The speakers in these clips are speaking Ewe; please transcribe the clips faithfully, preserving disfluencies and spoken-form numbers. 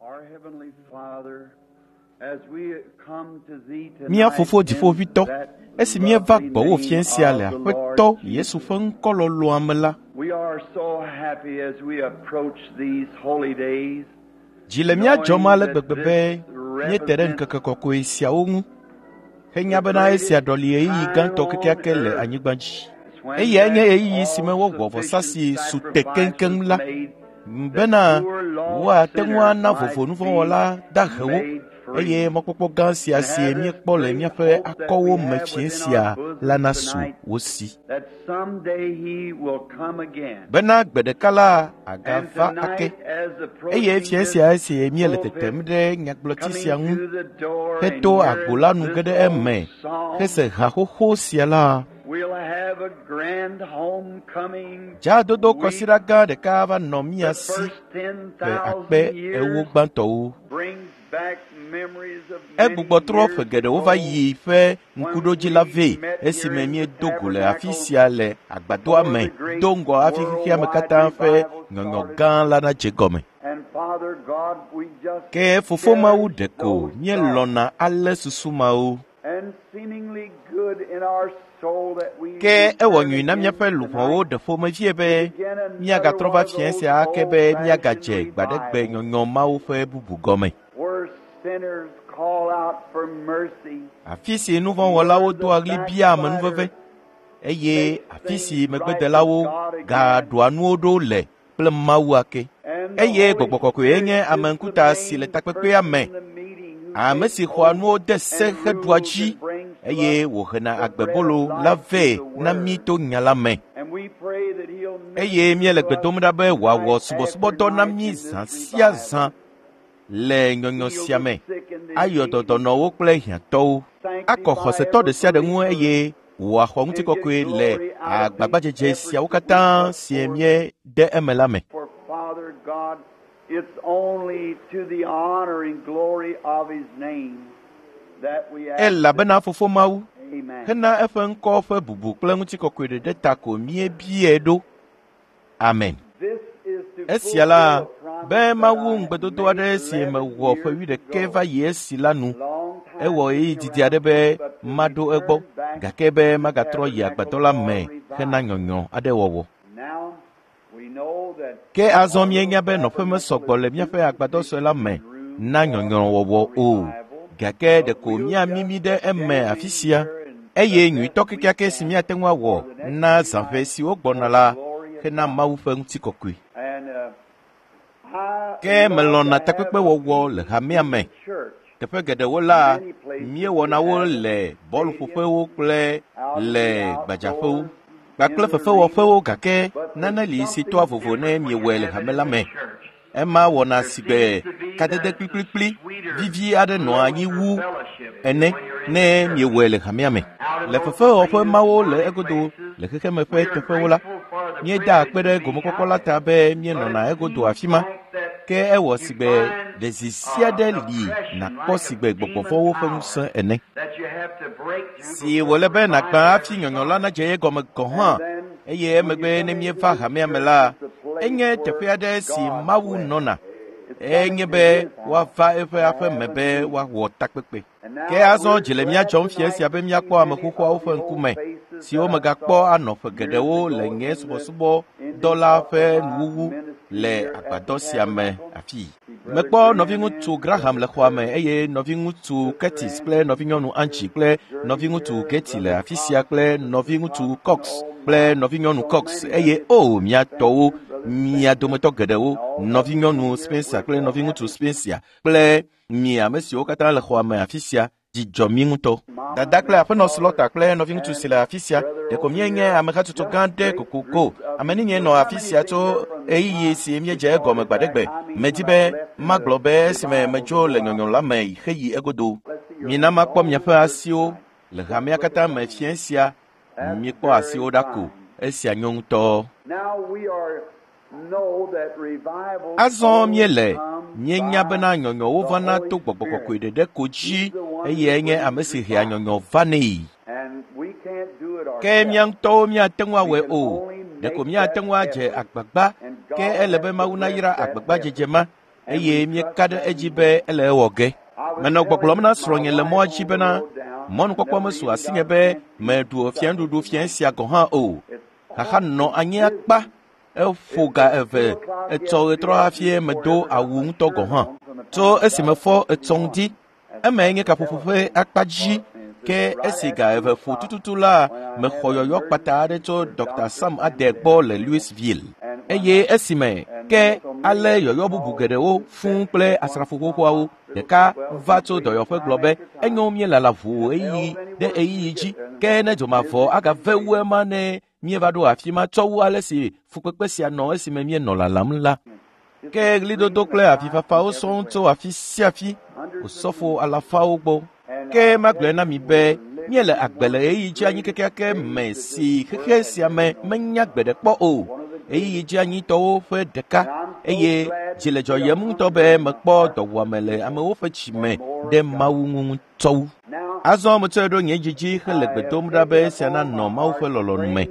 Our Heavenly Father, as we come to Thee Mía tonight Fofo in Dziƒoʋĩtɔ, that esi míeva lovely gbɔwò name fiẽ sia le of the Lord Aƒetɔ Yesu ƒe ŋkɔ lɔlɔ̃a me la, We are so happy as we approach these holy days, dzi le mía dzɔm ale gbegbe be míete ɖe ŋkeke kɔkɔe siawo ŋu henya bena esia ɖɔli ɣeyiɣi gãtɔ kekeake le anyigba dzi. It's when Eyae nye that ɣeyiɣi si me wowɔ vɔsa si all-sufficient su te sacrifice keŋkeŋ was la made bena that poor lost woate ŋu sinners ana might vovo be nuvɔ̃wɔla dahewo made free. eye mɔkpɔkpɔ gã sia And si have this míekpɔ le great míaƒe hope that akɔwo we me have fiẽ within sia our la bosoms nasu tonight, wo si. that someday He will come again. Bena gbe ɖeka la And agava ake. tonight, as Eye approaching fiẽ this sia esi míele pulpit, tetem ɖe nyagblɔti coming sia ŋu through the door and heto agbo hearing la nu ge this ɖe old eme song, hese ha xoxo sia la, we'll have a grand homecoming dzadodo week. kɔsiɖa gã ɖeka va nɔ mía The si first ten ƒe akpe thousand ewo years gbãtɔwo. brings back memories of many Egbugbɔ trɔ ƒe years geɖewo va ago yi ƒe when ŋkuɖodzi la we vɛ met here esime in the míedo go le afi tabernacle sia le agbadɔa before me the great do ŋgɔ hafi xexea me worldwide katã ƒe revival nyɔnyɔ started. gã la nadze gɔme. And Father God, we just Ke Fofo Mawu cherish ɖeko those thoughts míelɔ̃na alé susu mawo. and seemingly good in our soul that we Ke ewɔ return nyui na again míaƒe luʋɔwo tonight ɖe ƒomevie to be begin another míagatrɔ one va of fiẽ those sia ake be míagadze old-fashioned gbaɖegbe revivals nyɔnyɔ mawo ƒe bubu gɔme. where sinners call out for mercy Afi si and nuvɔ̃wɔlawo where the doa ɣli biaa amenuveve backslider eye makes afi si things right with megbedelawo God again. gaɖoa nuwo ɖo le kple Mawu ake. And the Eye Holy Gbɔgbɔ Kɔkɔe Spirit nye is ame the ŋkuta si le main takpekpea person me, in the meeting who ame takes si xɔa hold nuwo de se and heɖua rules dzi and brings to eye us wòhena the bread of agbebolo la life vɛ through the na mí Word. to nya la me. And we pray that He'll Eye minister míele to gbe us dom ɖa be wòawɔ night after subɔsubɔdɔ na night mí in this zã sia zã revival. le nyɔnyɔ Heal sia the me, sick and ayɔ dɔ diseased, dɔnɔwo kple hiãtɔwo, akɔ sanctify xɔsetɔ every ɖe sia ɖe ŋu believer, eye wòaxɔ and get ŋutikɔkɔe le glory out of these agbagbadzedze efforts siawo that we katã put si forth. míede eme la me. For Father God, it's only to the honor and glory of His name that we ask this. Elabena Fofo Mawu, Amen. hena eƒe ŋkɔ ƒe bubu kple ŋutikɔkɔe ɖeɖe ta ko míebiae ɖo. Amen. This is to Esia la, fulfill a be promise that Mawu I ŋugbedodo made aɖe si eleven mewɔ ƒe years wuiɖekɛ ago. va yi esi la nu, Long time ewɔ ɣeyiɣi getting didi aɖe around to be it, but to maɖo egbɔ, return back gake be to the magatrɔ yi tabernacle agbadɔ la for me hena revival. nyɔnyɔ aɖe wɔwɔ. Now we know that Ke azɔ our little míenya be nɔƒe tabernacle mesɔgbɔ is le too míaƒe agbadɔ sue la me sufficient room na for nyɔnyrɔwɔwɔ a o, revival, gake but ɖeko we'll míamimi just ɖe eme jam afi in sia here and the eye best nyuitɔ we kekeake si can míate ŋu awɔ for the next na few zãƒe nights siwo gbɔna for the la glory of hena God. Mawu ƒe ŋutikɔkɔe. And uh, I Ke love to melɔ̃na have a takpekpewɔwɔ le meeting hamea in me. the church. Teƒe geɖewo la, Many places we míewɔna wo have it, le stadiums, bɔluƒoƒewo kple out in le the gbadzaƒewo outdoors, kpakple in the fefewɔƒewo arenas. gake But nane there's li si something toa vovo different ne when you miewɔe le have it hame in la the me. church. Ema wɔna There si gbe seems to be kadede that kplikplikpli sweeter, vivi aɖe nɔa anyi closer wu fellowship ene when you're in the ne church. miewɔe le hamea me. Out in Le those fefewɔƒe arenas mawo and le other egodo places, le xexeme ƒe we are teƒewo la, grateful for the míedaa akpe privilege ɖe to be gomekpɔkpɔ out la there. ta be But míenɔna it egodo seems afi ma. like that Ke ewɔ you si gbe find ɖezi sia uh, ɖe an li oppression nàkpɔ like si a gbe demon gbɔgbɔvɔ̃wo ƒe power ŋusẽ ene. that you have to break through Si before wòle the be nàgbã revival hafi ever nyɔnyɔ la starts. nadze ye gɔme gɔ̃ hã And then eye when you emegbe come ne into míeva this hamea me church, la, it's a place enye where teƒe aɖe si God Mawu dwells. nɔna. It's Enye coming to be His house woava eƒe to aƒe have me a be meeting. woawɔ takpekpe. And Ke now azɔ we're dzi le mía glad dzɔm fiẽ tonight sia be to see míakpɔ ame many xoxoawo of ƒe the old ŋkume faces siwo that I megakpɔ saw anɔ ƒe years geɖewo le ago nye in the subɔsubɔdɔ ending la up ƒe of my nuwuwu ministry le here at the agbadɔ sia me tabernacle. afii. See Brother Mekpɔ Graham nɔviŋutsu and Graham Brother le xɔa me Curtis, eye nɔviŋutsu Sister Curtis kple Angie nɔvinyɔnu Angie here, kple Gertie nɔviŋutsu here, Getty le Brother afi sia Cox, kple Sister nɔviŋutsu Cox, and Cox oh kple my, nɔvinyɔnu so Cox many eye of you, o Sister mía tɔwo Spencer, Brother mia Spencer, dometɔ geɖewo and all of you nɔvinyɔnu here. Spencer We're kple so nɔviŋutsu happy. Spencer kple mi ame siwo katã le xɔa me afi sia dzi dzɔ mí ŋutɔ. Mama, Dada kple Miss aƒenɔ Slaughter, Slaughter kple nɔviŋutsu si and le afi sia brother ɖeko over míenye here, amehatsotso just gã ɖe great kokoko. groups of Ame nenye you. nɔ How afi many sia think tso they're from the ɣeyiɣi time si we míedze egɔme started back? gbaɖegbe. I mean, Medi when I be left in the magblɔ be esime revival to medzo le go out. nyɔnyɔ la me heyi egodo. Let's see your Mina hands makpɔ all in miaƒe the church asiwo tonight. le Just hamea look katã at the me hands. fiẽ sia. That's Míekpɔ very asiwo ɖa ko. fine. Esia nyo ŋutɔ. Now we are know that revivals Azɔ only míele come míenya by bena nyɔnyɔwo the vana Holy to gbɔgbɔ Spirit. kɔkɔe ɖeɖe ko dzi He's the one who eye enye brings ame si hea revival. nyɔnyɔ vanɛ. And we can't do it Ke mía ourselves. ŋutɔwo míate ŋu We awɔe can o. only Ɖeko make míate that ŋu adze effort. agbagba And ke God ele has be to Mawu bless nayra that agbagbadzedze effort. ma eye míeka ɖe edzi be ele ewɔ ge. Menɔ gbɔgblɔm na srɔ̃nye le mɔa dzi bena mɔnukpɔkpɔ mesu asinye be meɖu fianuɖuɖu fia sia gɔ̃ hã o. Xaxa nɔ anyi akpa eƒo ga eve etsɔ ɣetrɔ hafi medo awu ŋutɔ gɔ̃ hã. Tso esi mefɔ etsɔ ŋdi, emae nye kaƒoƒo ƒe akpa dzi ke esi ga eve ƒo tututu la mexɔ yɔyɔ kpata aɖe tso Dr. Sam Ade gbɔ le Louisville. Eye esime ke ale yɔyɔ bubu geɖewo fũu kple asrafo xoxoawo ɖeka va tso dɔyɔƒe gblɔ be enyo míelala ʋuu ɣeyiɣi ɖe ɣeyiɣi dzi ke ne dzomavɔ agave wu ema ne míeva ɖo afi ma tsɔ wu ale si fukpekpe sia nɔ esime míenɔ lalam la. Ke ɣlidodo kple avifafawo sɔŋ tso afi sia afi osɔfo alafawo gbɔ. Ke magblɔe na mi be míele agbe le ɣeyiɣi dzi anyi kekeake me si xexe sia me menya gbe ɖe kpɔ o. Ɣeyiɣi dzi anyitɔwo ƒe ɖeka eye dzi le dzɔyem ŋutɔ be mekpɔ dɔwuame le amewo ƒe dzime ɖe Mawu ŋu ŋutɔ wu. Azɔ metsɔe ɖo nye dzi dzi hele gbe dom ɖa be esia nanɔ Mawu ƒe lɔlɔ̃nu me.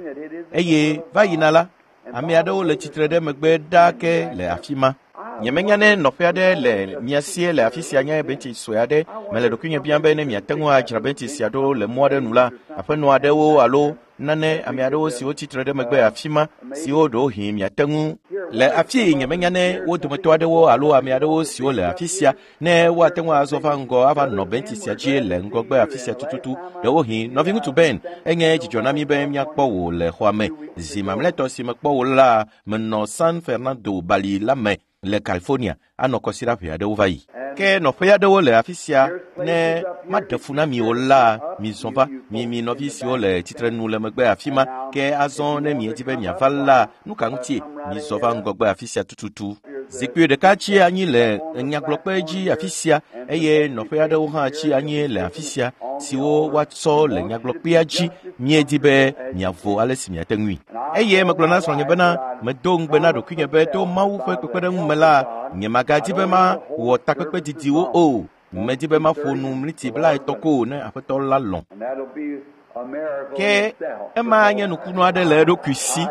Eye va yina la, ame aɖewo le tsitre ɖe megbe ɖaa ke le afi ma. Nyemenya ne nɔƒe aɖe le mia sie le afi sia nye bentsi sue aɖe. Mele ɖokuinye biam be ne miate ŋu adzra bentsi sia ɖo le mɔ aɖe nu la, aƒenɔ aɖewo alo nane ame aɖewo siwo tsitre ɖe megbe afi ma siwo ɖewohĩ miate ŋu le afi nyemenya ne wo dometɔ aɖewo alo ame aɖewo siwo le afi sia ne woate ŋu azɔ va ŋgɔ ava nɔ bentsi sia dzi le ŋgɔgbe afi sia tututu. Ɖewohĩ nɔviŋutsu Ben, enye dzidzɔ na mí be míakpɔ wò le xɔa me. Zi mamlɛtɔ si mekpɔ wò la, menɔ San Fernando bali la me le California anɔ kɔsiɖa ʋe aɖewo va yi. Ke nɔƒe aɖewo le afi sia ne maɖe fu na mi o la, mizɔ va mi mi nɔvi siwo le tsitrenu le megbe afi ma. Ke azɔ ne miedi be miava la, nu ka ŋutie mizɔ va ŋgɔgbe afi sia tututu. Zikpui ɖeka tsi anyi le nyagblɔkpe dzi afi sia eye nɔƒe aɖewo hã tsi anyi le afi sia siwo woatsɔ le nyagblɔkpea dzi. Miedi be miavo ale si miate ŋui. Eye megblɔ na srɔ̃nye bena medo ŋugbe na ɖokuinye be to Mawu ƒe kpekpeɖeŋu me la, nyemagadi be mawɔ takpekpe didiwo o. Medi be maƒo nu mliti blaetɔ̃ ko ne Aƒetɔ la lɔ̃. Ke ema nye nukunu aɖe le eɖokui si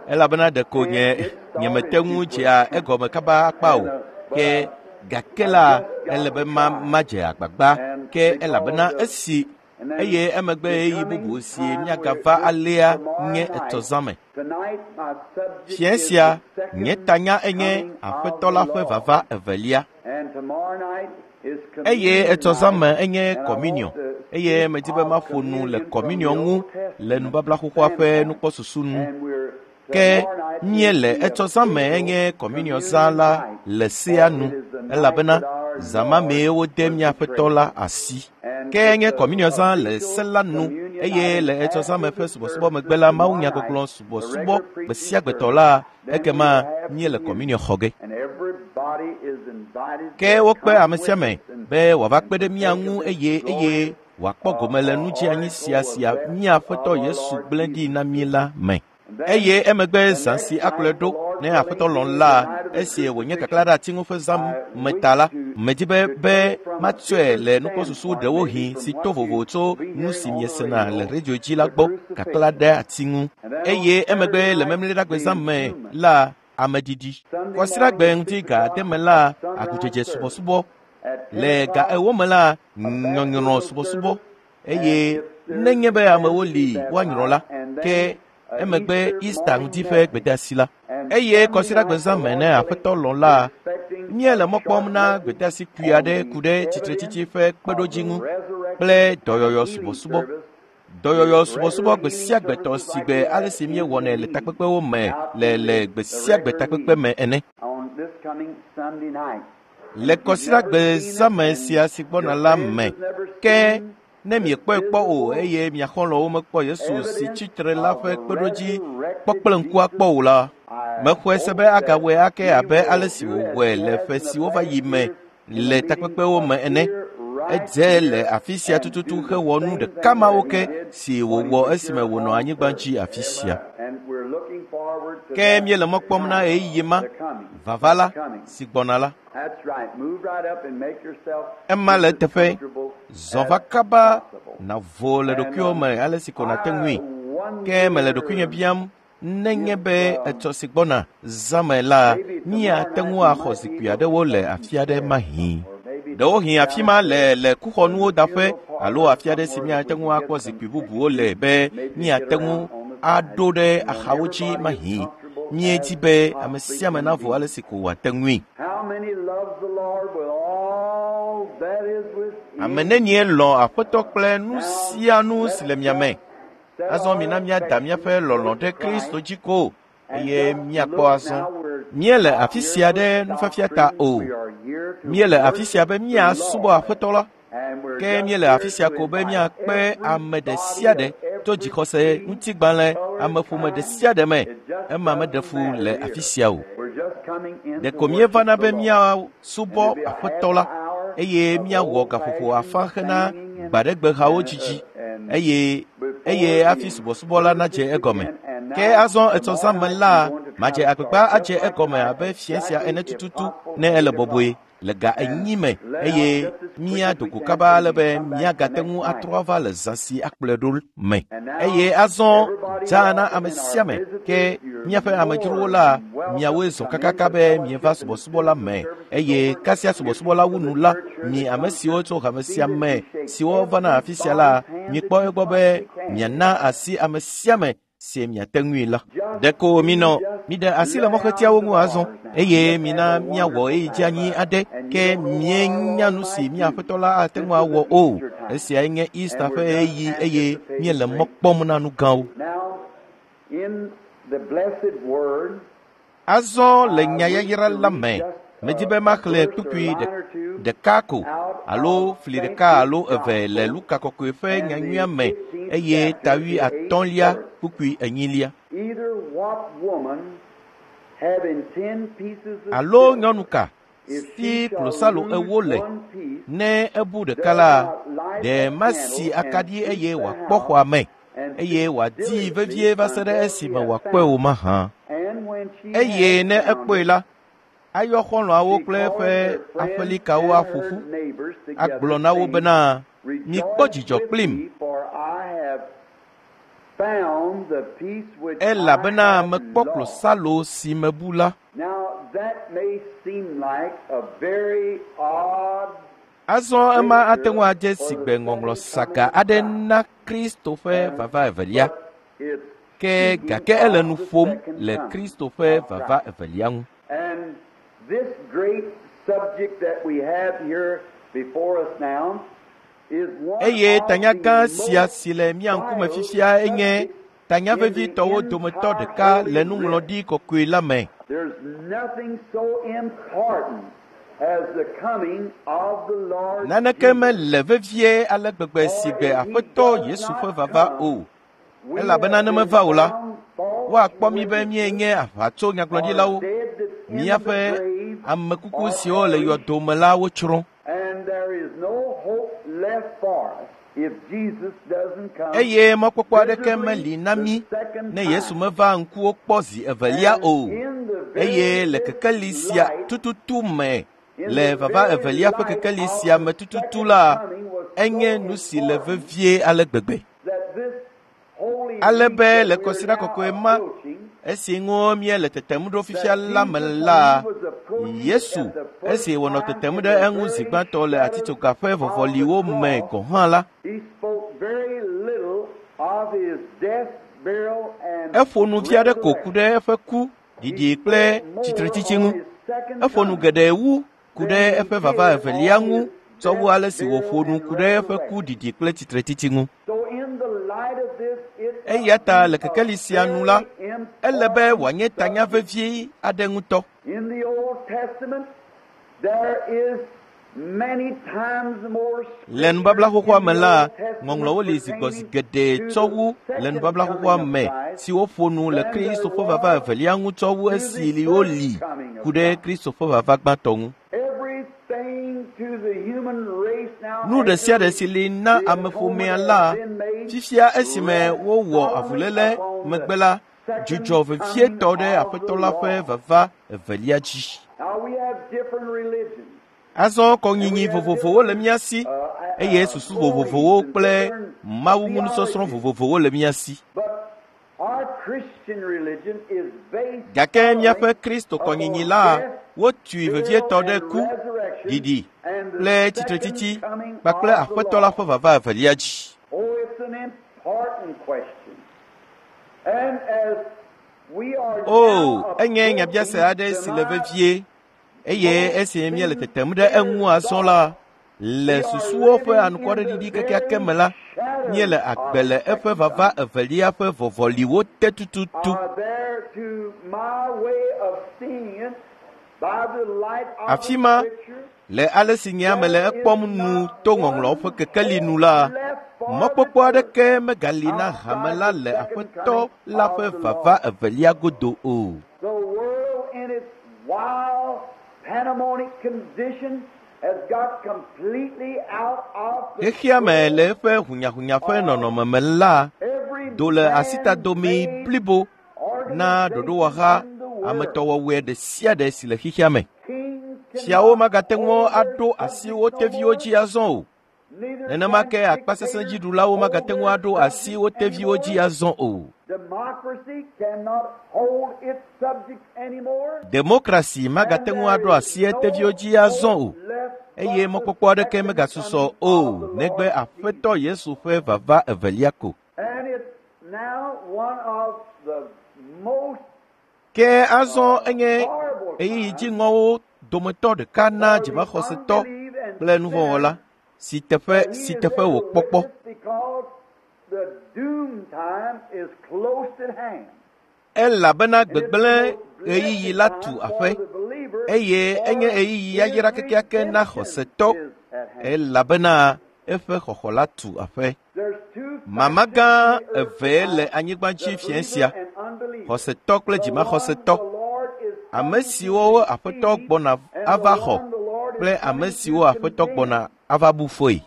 elabena ɖeko nye nyemete ŋu dzea egɔme kaba akpa o. Ke gake la ele be ma madze agbagba ke elabena esi eye emegbe ɣeyiɣi bubu si míagava alea nye etɔ̃ zã me. Fiẽ sia nye tanya enye Aƒetɔ la ƒe vava evelia. Eye etɔ̃ zã me enye kɔminiɔ eye medi be maƒo nu le kɔminiɔ ŋu le nubabla xoxoa ƒe nukpɔsusu nu. Ke míele etsɔ zã me enye kɔminiɔ zã la le sea nu elabena zã ma mee wode mía Aƒetɔ la asi. Ke nye kɔminiɔ zã le se la nu eye le etsɔ zã me ƒe subɔsubɔ megbe la mawunyagbɔgblɔ subɔsubɔ gbe sia gbe tɔ la ekema míele kɔminiɔ xɔ ge. Ke wokpe ame sia ame be wòava kpe ɖe mía ŋu eye eye wòakpɔ gome le nudzeanyi sia sia mía Aƒetɔ Yesu gblẽ ɖi na mí la me. Eye emegbe zã si akplɔe ɖo ne Aƒetɔ lɔ̃ la, esi wònye kaklã ɖe ati ŋu ƒe zã me ta la, medi be be matsɔe le nukpɔsusu ɖewohĩ si to vovo tso nu si miesena le radio dzi la gbɔ kaklã ɖe ati ŋu. Eye emegbe le memleɖagbe zã me la, ameɖiɖi. Kɔsiɖagbe ŋuti ga ade me la, agudzedze subɔsubɔ. Le ga ewo me la, nyɔnyrɔ subɔsubɔ. Eye nenye be amewo li woanyrɔ la, ke emegbe Easter ŋuti ƒe gbedeasi la. Eye kɔsiɖagbe zã me ne Aƒetɔ lɔ̃ la, míele mɔ kpɔm na gbedeasi kpui aɖe ku ɖe tsitretsitsi ƒe kpeɖodzi ŋu kple dɔyɔyɔ subɔsubɔ. Dɔyɔyɔ subɔsubɔ gbe sia gbe tɔ si gbe ale si míewɔnɛ le takpekpewo me le le gbe sia gbe takpekpe me ene. Le kɔsiɖagbe zã me sia si gbɔna la me ke ne miekpɔe kpɔ o eye mia xɔlɔ̃wo mekpɔ Yesu si tsitre la ƒe kpeɖodzi kpɔ kple ŋku akpɔ o la, mexɔe se be agawɔe ake abe ale si wòwɔe le ƒe siwo va yi me le takpekpewo me ene. Edze le afi sia tututu hewɔ nu ɖeka mawo ke si wòwɔ esime wònɔ anyigba dzi afi sia. Ke míele mɔ kpɔm na ɣeyiɣi ma, vava la, si gbɔna la. Ema le eteƒe, zɔ va kaba nàvo le ɖokuiwò me ale si ko nàte ŋui. Ke mele ɖokuinye biam Nenye be etsɔ si gbɔna zãme la, míate ŋu axɔ zikpui aɖewo le afi aɖe mahĩ. Ɖewohĩ afi ma le le kuxɔnuwo daƒe alo afi aɖe si míate ŋu akpɔ zikpui bubuwo le be míate ŋu aɖo ɖe axawo dzi mahĩ. Míedi be ame sia ame navo ale si ko wòate ŋui. Ame nenie lɔ̃ Aƒetɔ kple nu sia nu si le mia me. Azɔ mina míada míaƒe lɔlɔ̃ ɖe Kristo dzi ko eye míakpɔ azɔ. Míele afi sia ɖe nufiafia ta o. Míele afi sia be míasubɔ Aƒetɔ la. Ke míele afi sia ko be míakpe ame ɖe sia ɖe tso dzixɔse ŋutigbalẽ ameƒome ɖe sia ɖe me. Ema meɖe fu le afi sia o. Ɖeko míevana be míasubɔ Aƒetɔ la eye míawɔ gaƒoƒo afã hena gbaɖegbehawo dzidzi eye eye hafi subɔsubɔ la nadze egɔme. Ke azɔ etsɔ zãme la, madze agbagba adze egɔme abe fiẽ sia ene tututu ne ele bɔbɔe le ga enyi me eye míado go kaba ale be míagate ŋu atrɔ ava le zã si akplɔe ɖo me. Eye azɔ dzaa na ame sia ame ke míaƒe amedzrowo la, miawoe zɔ kakaka be mieva subɔsubɔ la me eye kasia subɔsubɔ la wu nu la, mi ame siwo tso hame sia me siwo vana afi sia la, mikpɔ egbɔ be miana asi ame sia ame si miate ŋui la. Ɖeko minɔ miɖe asi le mɔxetiawo ŋu azɔ eye mina míawɔ ɣeyiɣi dzeanyi aɖe ke míenya nu si mía Aƒetɔ la ate ŋu awɔ o. Esiae nye Easter ƒe ɣeyiɣi eye míele mɔ kpɔm na nu gãwo. Azɔ le nyayayra la me, medi be maxlẽ kpukpui ɖeka ko alo fli ɖeka alo eve le Luka kɔkɔe ƒe nyanyuia me eye ta wui atɔ̃lia kpukpui enyilia. Alo nyɔnu ka si klosalo ewo le ne ebu ɖeka la, ɖe masi akaɖi eye wòakpɔ xɔa me eye wòadii vevie va se ɖe esime wòakpɔe o mahã. Eye ne ekpɔe la, ayɔ xɔlɔ̃awo kple eƒe aƒelikawo aƒo ƒu, agblɔ na wo bena, mikpɔ dzidzɔ kplim, elabena mekpɔ klosalo si mebu la. Azɔ ema ate ŋu adze sigbe ŋɔŋlɔ saga aɖe na Kristo ƒe vava evelia. Ke gake ele nu ƒom le Kristo ƒe vava evelia ŋu. Eye tanya gã sia si le mía ŋkume fifia enye tanya vevitɔwo dometɔ ɖeka le nuŋlɔɖi kɔkɔe la me. Naneke mele vevie ale gbegbe si gbe Aƒetɔ Yesu ƒe vava o. Elabena ne meva o la, woakpɔ mí be míenye aʋatso nyagblɔɖilawo. Míaƒe ame kuku siwo le yɔdo me la wotsrɔ̃. Eye mɔkpɔkpɔ aɖeke meli na mí ne Yesu meva ŋkuwo kpɔ zi evelia o. Eye le kekeli sia tututu me, le vava evelia ƒe kekeli sia me tututu la, enye nu si le vevie ale gbegbe. Ale be le kɔsiɖa kɔkɔe ma, esi ŋu míele tetem ɖo fifia la me la, Yesu, esi wònɔ tetem ɖe eŋu zi gbãtɔ le atitsoga ƒe vɔvɔliwo me gɔ̃ hã la, eƒo nu vi aɖe ko ku ɖe eƒe ku, ɖiɖi kple tsitretsitsi ŋu. Eƒo nu geɖe wu ku ɖe eƒe vava evelia ŋu tsɔ wu ale si wòƒo nu ku ɖe eƒe ku ɖiɖi kple tsitretsitsi ŋu. Eya ta le kekeli sia nu la, ele be wòanye tanya vevie aɖe ŋutɔ. Le nubabla xoxoa me la, ŋɔŋlɔwo li zi gbɔ zi geɖe tsɔ wu le nubabla xoxoa me siwo ƒo nu le Kristo ƒe vava evelia ŋu tsɔ wu esi woli ku ɖe Kristo ƒe vava gbãtɔ ŋu. Nu ɖe sia ɖe si li na ameƒomea la, fifia esime wowɔ avuléle megbe la, dzudzɔ vevietɔ ɖe Aƒetɔ la ƒe vava evelia dzi. Azɔ kɔnyinyi vovovowo le mía si eye susu vovovowo kple Mawu ŋu nusɔsrɔ̃ vovovowo le mía si. Gake míaƒe Kristokɔnyinyi la wotui vevietɔ ɖe ku, ɖiɖi kple tsitretsitsi kpakple Aƒetɔ la ƒe vava evelia dzi. O, enye nyabiase aɖe si le vevie eye esi míele tetem ɖe eŋu azɔ la, le susuwo ƒe anukwareɖiɖi kekeake me la, míele agbe le eƒe vava evelia ƒe vɔvɔliwo te tututu. Afi ma, le ale si nye ame le ekpɔm nu to ŋɔŋlɔwo ƒe kekeli nu la, mɔkpɔkpɔ aɖeke megali na hame la le Aƒetɔ la ƒe vava evelia godo o. Xexea me le eƒe hunyahunya ƒe nɔnɔme me la do le asitadomi blibo na ɖoɖowɔha ametɔwɔwɔe ɖe sia ɖe si le xexea me. Fiawo magate ŋu aɖo asi wo teviwo dzi azɔ o. Nenema ke akpasesẽdziɖulawo magate ŋu aɖo asi wo teviwo dzi azɔ o. Demokrasi magate ŋu aɖo asi eteviwo dzi azɔ o eye mɔkpɔkpɔ aɖeke megasusɔ o negbe Aƒetɔ Yesu ƒe vava evelia ko. Ke azɔ enye ɣeyiɣi dziŋɔwo dometɔ ɖeka na dzimaxɔsetɔ kple nuvɔ̃wɔla si teƒe si teƒe wòkpɔkpɔ. Elabena gbegblẽ ɣeyiɣi la tu aƒe eye enye ɣeyiɣi yayra kekeake na xɔsetɔ elabena eƒe xɔxɔ la tu aƒe. Mama gã evee le anyigba dzi fiẽ sia, xɔsetɔ kple dzimaxɔsetɔ, ame siwo Aƒetɔ gbɔna ava xɔ kple ame siwo Aƒetɔ gbɔna ava bu fɔe.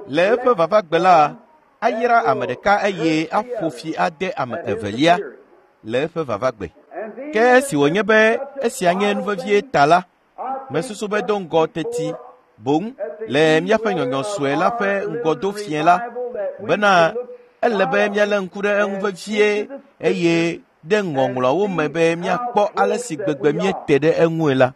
Le eƒe vavagbe la, ayra ame ɖeka eye aƒo fi ade ame evelia le eƒe vavagbe. Ke esi wònye be esia nye nu vevie ta la, mesusu be do ŋgɔ teti boŋ le míaƒe nyɔnyɔ sue la ƒe ŋgɔdofiẽ la bena ele be míalé ŋku ɖe eŋu vevie eye ɖe ŋɔŋlɔawo me be míakpɔ ale si gbegbe míete ɖe eŋue la.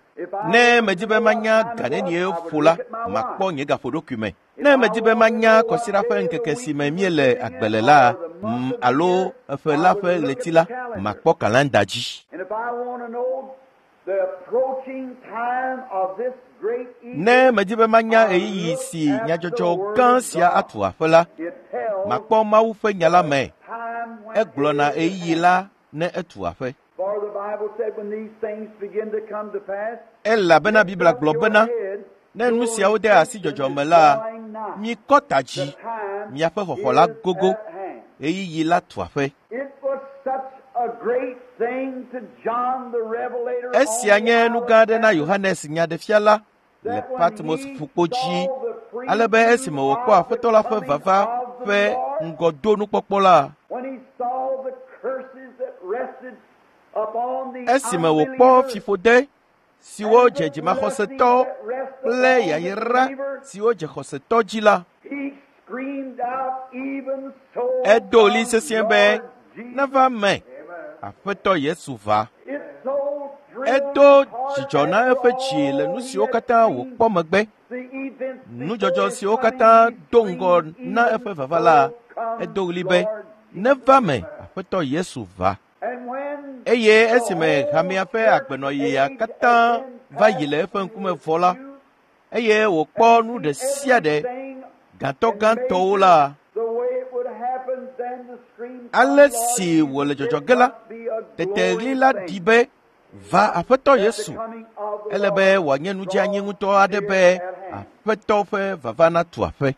Ne medi be manya ga nenie ƒo la, makpɔ nye gaƒoɖokui me. Ne medi be manya kɔsiɖa ƒe ŋkeke si me míele agbe le la alo eƒe la ƒe ɣleti la, makpɔ kalenda dzi. Ne medi be manya ɣeyiɣi si nyadzɔdzɔ gã sia atu aƒe la, makpɔ Mawu ƒe nya la me. Egblɔna ɣeyiɣi la ne etu aƒe. Elabena Biblia gblɔ bena, ne nu siawo de asi dzɔdzɔme la, mikɔ ta dzi, miaƒe xɔxɔ la gogo, ɣeyiɣi la tu aƒe. Esia nye nu gã aɖe na Yohanes Nyaɖefiala le Patmos ƒukpo dzi, ale be esime wòkpɔ Aƒetɔ la ƒe vava ƒe ŋgɔdonukpɔkpɔ la, esime wòkpɔ fiƒode siwo dze dzimaxɔsetɔ kple yayra siwo dze xɔsetɔ dzi la, edo ɣli sesĩe be, neva me, Aƒetɔ Yesu va. Edo dzidzɔ na eƒe dzi le nu siwo katã wòkpɔ megbe. Nudzɔdzɔ siwo katã do ŋgɔ na eƒe vava la, edo ɣli be, neva me, Aƒetɔ Yesu va. Eye esime hamea ƒe agbenɔɣia katã va yi le eƒe ŋkume vɔ la, eye wòkpɔ nu ɖe sia ɖe gãtɔgãtɔwo la, ale si wòle dzɔdzɔ ge la, tete ɣli la ɖi be, va Aƒetɔ Yesu. Ele be wòanye nudzeanyi ŋutɔ aɖe be Aƒetɔ ƒe vava natu aƒe.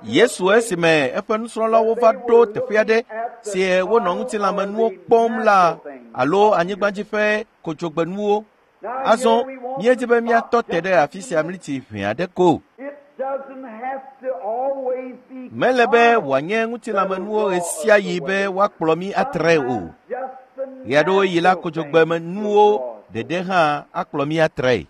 Yesu esime eƒe nusrɔ̃lawo va ɖo teƒe aɖe si wonɔ ŋutilãmenuwo kpɔm la alo anyigbadzi ƒe kodzogbenuwo. Azɔ míedi be míatɔ te ɖe afi sia mliti ʋɛ aɖe ko. Mele be wòanye ŋutilãmenuwo ɣe sia ɣi be woakplɔ mí atrae o. Ɣeaɖewoɣi la kodzogbemenuwo ɖeɖe hã akplɔ mí atrae.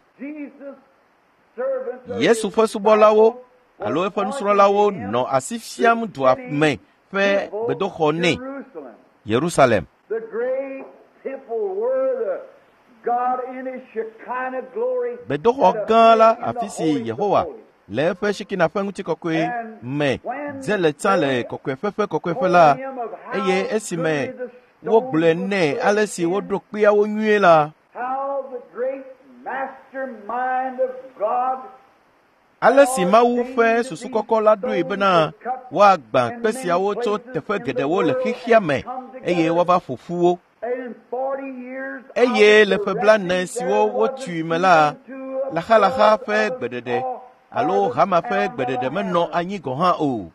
Yesu ƒe subɔlawo alo eƒe nusrɔ̃lawo nɔ asi fiam dua me ƒe gbedoxɔ nɛ, Yerusalem. Gbedoxɔ gã la, afi si Yehowa le eƒe Shekina ƒe ŋutikɔkɔe me dze le tsã le kɔkɔeƒe ƒe kɔkɔeƒe la, eye esime wogblɔe nɛ ale si woɖo kpeawo nyuie la, ale si Mawu ƒe susu kɔkɔ la ɖoe bena woagbã kpe siawo tso teƒe geɖewo le xexea me eye woava ƒo ƒu wo. Eye le ƒe blaene siwo wotui me la, laxalaxa ƒe gbeɖeɖe alo hama ƒe gbeɖeɖe menɔ anyi gɔ̃ hã o.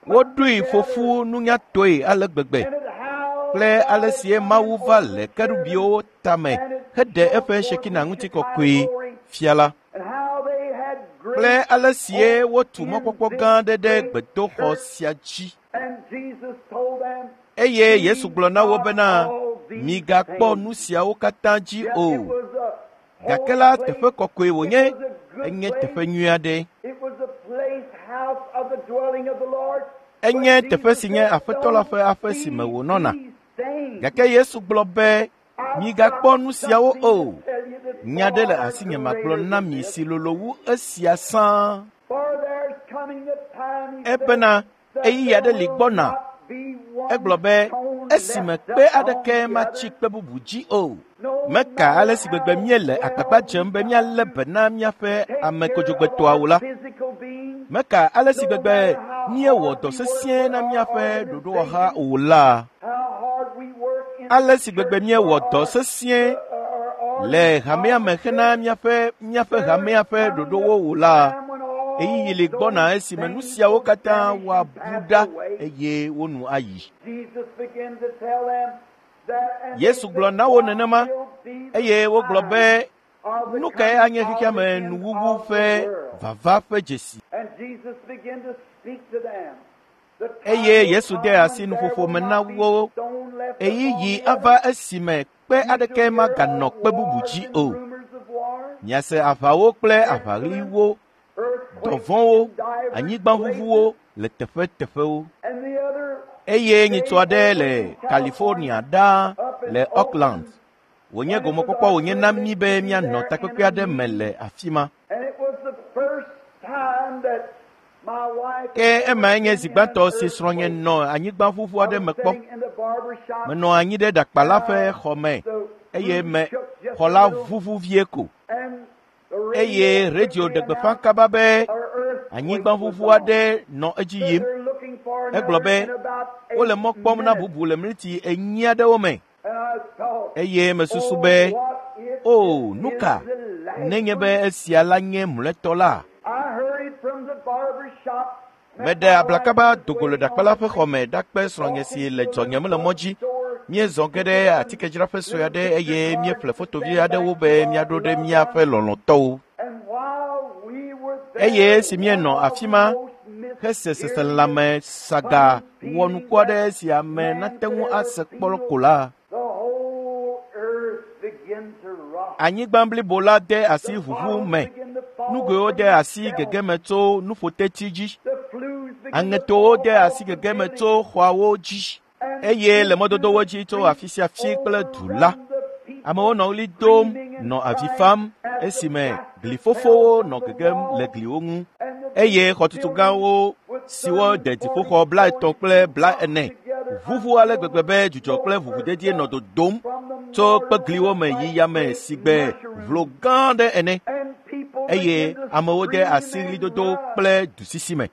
Woɖoe ƒo ƒu nunyatɔe ale gbegbe kple ale sie Mawu va le kerubiwo tame heɖe eƒe Shekina ŋutikɔkɔe fia la, kple ale sie wotu mɔkpɔkpɔ gã aɖe ɖe gbedoxɔ sia dzi. Eye Yesu gblɔ na wo bena, migakpɔ nu siawo katã dzi o. Gake la, teƒe kɔkɔe wònye, enye teƒe nyui aɖe. Enye teƒe si nye Aƒetɔ la ƒe aƒe si me wònɔna. Gake Yesu gblɔ be, migakpɔ nu siawo o. Nya ɖe le asinye magblɔ na mi si lolo wu esia sãa. Ebena ɣeyiɣi aɖe li gbɔna. Egblɔ be, esime kpe aɖeke matsi kpe bubu dzi o. Meka ale si gbegbe míele agbagba dzem be míalé be na míaƒe ame kodzogbetɔawo la. Meka ale si gbegbe míewɔ dɔ sesĩe na míaƒe ɖoɖowɔha o la. Ale si gbegbe míewɔ dɔ sesĩe le hamea me hena míaƒe míaƒe hamea ƒe ɖoɖowo o la, ɣeyiɣi li gbɔna esime nu siawo katã woabu ɖa eye wo nu ayi. Yesu gblɔ na wo nenema, eye wogblɔ be, nu kae anye xexea me nuwuwu ƒe vava ƒe dzesi? Eye Yesu de asi nuƒoƒo me na wo. Ɣeyiɣi ava esime kpe aɖeke maganɔ kpe bubu dzi o. Miase aʋawo kple aʋaɣliwo, dɔvɔ̃wo, anyigbaʋuʋuwo le teƒeteƒewo. Eye nyitsu aɖe le California ɖaa le Oakland. Wònye gomekpɔkpɔ wònye na mí be míanɔ takpekpe aɖe me le afi ma. Ke emae nye zi gbãtɔ si srɔ̃nye nɔ anyigbaʋuʋu aɖe me kpɔ. Menɔ anyi ɖe ɖakpala ƒe xɔ me eye me xɔ la ʋuʋu vie ko. Eye radio ɖe gbeƒã kaba be anyigbaʋuʋu aɖe nɔ edzi yim. Egblɔ be wole mɔ kpɔm na bubu le miniti enyi aɖewo me. Eye mesusu be, o, nu ka nenye be esia la nye mlɔetɔ la? Meɖe ablakaba dogo le ɖakpala ƒe xɔ me ɖakpe srɔ̃nye si le dzɔnyem le mɔ dzi. Míezɔ ge ɖe atikedzraƒe sue aɖe eye míeƒle fotovi aɖewo be míaɖo ɖe míaƒe lɔlɔ̃tɔwo. Eye esi míenɔ afi ma hese seselãme saga wɔnuku aɖe si ame nate ŋu ase kpɔ ko la, anyigba blibo la de asi ʋuʋu me. Nugoewo de asi gege me tso nuƒotetsi dzi. Aŋetowo de asi gege me tso xɔawo dzi. Eye le mɔdodowo dzi tso afi sia afi kple du la, amewo nɔ ɣli dom nɔ avi fam esime glifofowo nɔ gegem le gliwo ŋu. Eye xɔtutu gãwo siwo de dziƒoxɔ blaetɔ̃ kple blaene ʋuʋu ale gbegbe be dzudzɔ kple ʋuʋudedie nɔ dodom tso kpegliwo me yi yame sigbe vlo gã aɖe ene. Eye amewo de asi ɣlidodo kple dusisi me.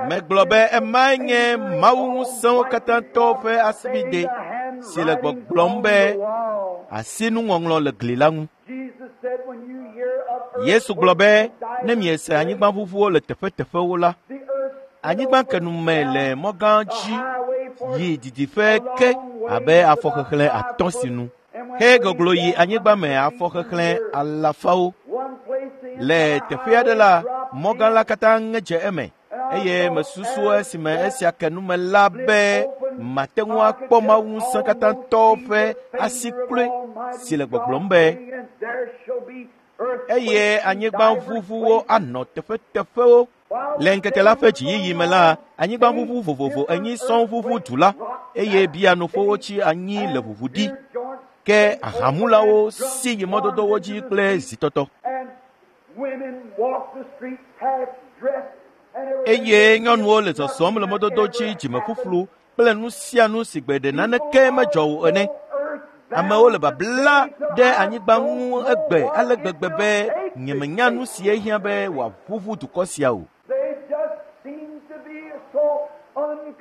Megblɔ be emae nye Mawu ŋusẽwo katã tɔ ƒe asibide si le gbɔgblɔm be asinuŋɔŋlɔ le gli la ŋu. Yesu gblɔ be ne miese anyigbaʋuʋuwo le teƒeteƒewo la, anyigba kenume le mɔ gã dzi yi didiƒe ke abe afɔxexlẽ atɔ̃ si nu. Xe goglo yi anyigba me afɔxexlẽ alafawo. Le teƒe aɖe la, mɔ gã la katã ŋe dze eme. Eye mesusu esime esia ke nume la be mate ŋu akpɔ Mawu ŋusẽ katã tɔ ƒe asi kloe si le gbɔgblɔm be Eye anyigbaʋuʋuwo anɔ teƒeteƒewo. Le ŋkeke la ƒe dziyiyi me la, anyigbaʋuʋu vovovo enyi sɔŋ ʋuʋu du la, eye bianuƒowo tsi anyi le ʋuʋu ɖi. Ke ahamulawo si yi mɔdodowo dzi kple zitɔtɔ. Eye nyɔnuwo le zɔzɔm le mɔdodo dzi dzimeƒuƒlu kple nu sia nu si gbe ɖe naneke medzɔ o ene. Amewo le babla ɖe anyigba ŋu egbe ale gbegbe be nyemenya nu si ehiã be wòaʋuʋu dukɔ sia o.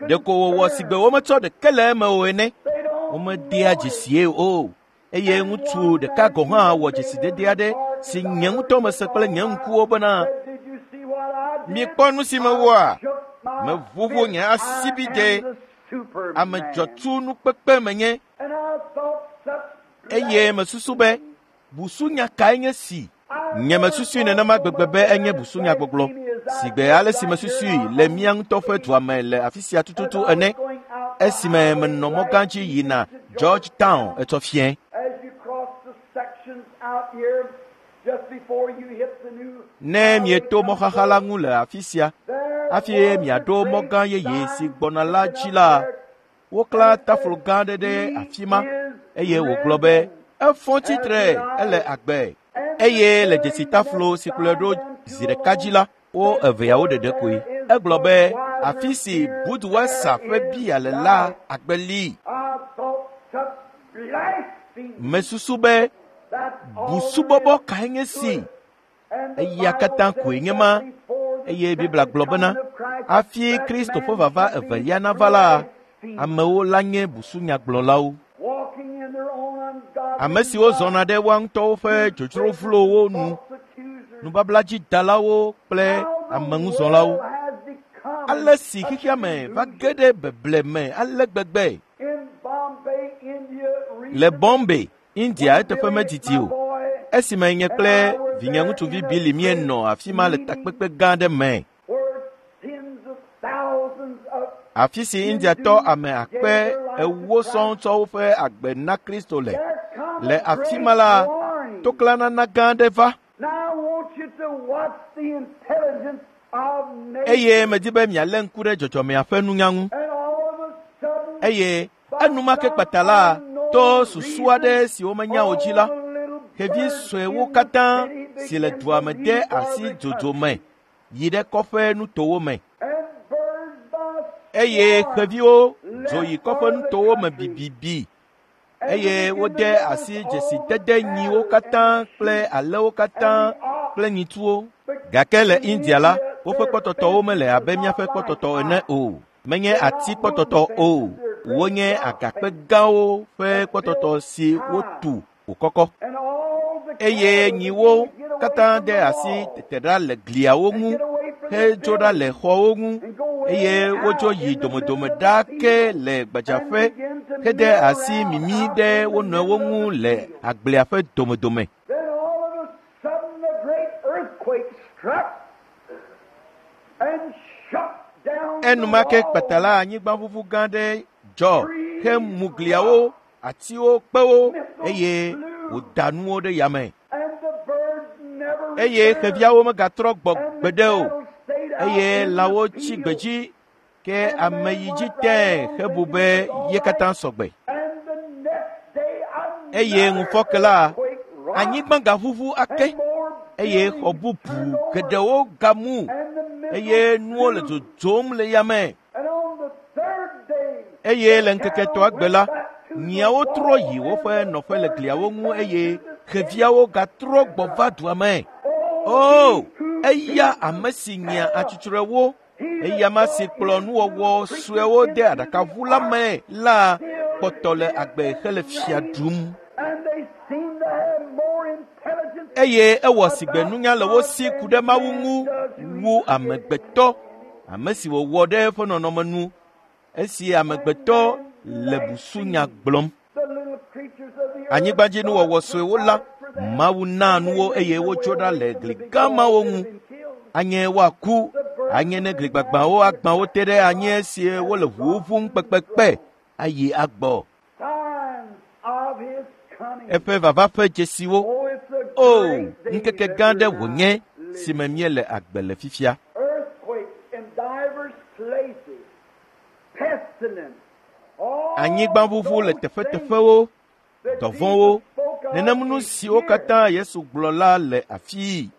Ɖeko wòwɔ si gbe wometsɔ ɖeke le eme o ene. Womedea dzesie o. Eye ŋutsu ɖeka gɔ̃ hã wɔ dzesidede aɖe si nye ŋutɔ mese kple nye ŋkuwo bena, mikpɔ nu si mewɔa, meʋuʋu nye asibide, ame dzɔtsu nukpekpe menye. Eye mesusu be, busunya kae nye si? Nye mesusui nenema gbegbe be enye busunyagbɔgblɔ, si gbe ale si mesusui le mía ŋutɔ ƒe dua me le afi sia tututu ene, esime menɔ mɔ gã dzi yina Georgetown etsɔ fiẽ. Ne mieto mɔxaxa la ŋu le afi sia, hafi miaɖo mɔ gã yeye si gbɔna la dzi la, woklã taflo gã aɖe ɖe afi ma, eye wògblɔ be, efɔ tsitre, ele agbe. Eye le dzesitaflo si kplɔe ɖo zi ɖeka dzi la, wo eveawo ɖeɖe koe. Egblɔ be, afi si Budweiser ƒe bia le la agbe li. Mesusu be, busubɔbɔ kae nye si? Eya katã koe nye ma. Eye Biblia gblɔ bena, hafi Kristo ƒe vava evelia nava la, amewo la nye busunyagblɔlawo. Ame siwo zɔna ɖe woa ŋutɔwo ƒe dzodzro vlowo nu, nubabladzidalawo kple ameŋuzɔlawo. Ale si xexea me va ge ɖe beble me ale gbegbe. Le Bombay, India eteƒe medidi o, esime nye kple vinyeŋutsuvi Billy míenɔ afi ma le takpekpe gã aɖe me. Afi si Indiatɔ ame akpe ewo sɔŋ tsɔ woƒe agbe na Kristo le. Le afi ma la, toklãnana gã aɖe va. Eye medi be mialé ŋku ɖe dzɔdzɔmea ƒe nunya ŋu. Eye enumake kpata la, to susu aɖe si womenya o dzi la, xevi suewo katã si le dua me de asi dzodzo me yi ɖe kɔƒe nutowo me. Eye xeviwo dzo yi kɔƒe nutowo me bibibi. Eye wode asi dzesidede nyiwo katã kple alewo katã kple nyitsuwo. Gake le India la, woƒe kpɔtɔtɔwo mele abe míaƒe kpɔtɔtɔ ene o. Menye ati kpɔtɔtɔ o. Wonye agakpe gãwo ƒe kpɔtɔtɔ si wotu wòkɔkɔ. Eye nyiwo katã de asi tete ɖa le gliawo ŋu, hedzo ɖa le xɔwo ŋu, eye wodzo yi domedome ɖaa ke le gbadzaƒe hede asi mimi ɖe wo nɔewo ŋu le agblea ƒe domedome. Enumake kpata la anyigbaʋuʋu gã aɖe dzɔ hemu gliawo, atiwo, kpewo, eye wòda nuwo ɖe yame. Eye xeviawo megatrɔ gbɔ gbeɖe o. Eye lãwo tsi gbedzi, ke ame yi dzi tẽe hebu be ye katã sɔgbe. Eye ŋufɔke la, anyigba gaʋuʋu ake, eye xɔ bubu geɖewo gamu, eye nuwo le dzodzom le yame. Eye le ŋkeke etɔ̃a gbe la, nyiawo trɔ yi woƒe nɔƒe le gliawo ŋu eye xeviawo gatrɔ gbɔ va dua me. O, eya ame si nyia atsutsurɔewo, eya ma si kplɔ nuwɔwɔ suewo de aɖakaʋu la me la kpɔtɔ le agbe hele fia ɖum. Eye ewɔ si gbe nunya le wo si ku ɖe Mawu ŋu wu amegbetɔ, ame si wòwɔ ɖe eƒe nɔnɔme nu, esi amegbetɔ le busunya gblɔm. Anyigbadzinuwɔwɔ suewo la, Mawu naa nuwo eye wotso ɖa le gli gã mawo ŋu. Anye woaku, anye ne gli gbagbãwo agbã wo te ɖe anyi esi wole ʋuwo ʋum kpekpekpe ayi agbɔ. Eƒe vava ƒe dzesiwo. O, ŋkeke gã aɖe wònye si me míele agbe le fifia. Anyigbaʋuʋu le teƒeteƒewo, dɔvɔ̃wo, nenem nu siwo katã Yesu gblɔ la le afii.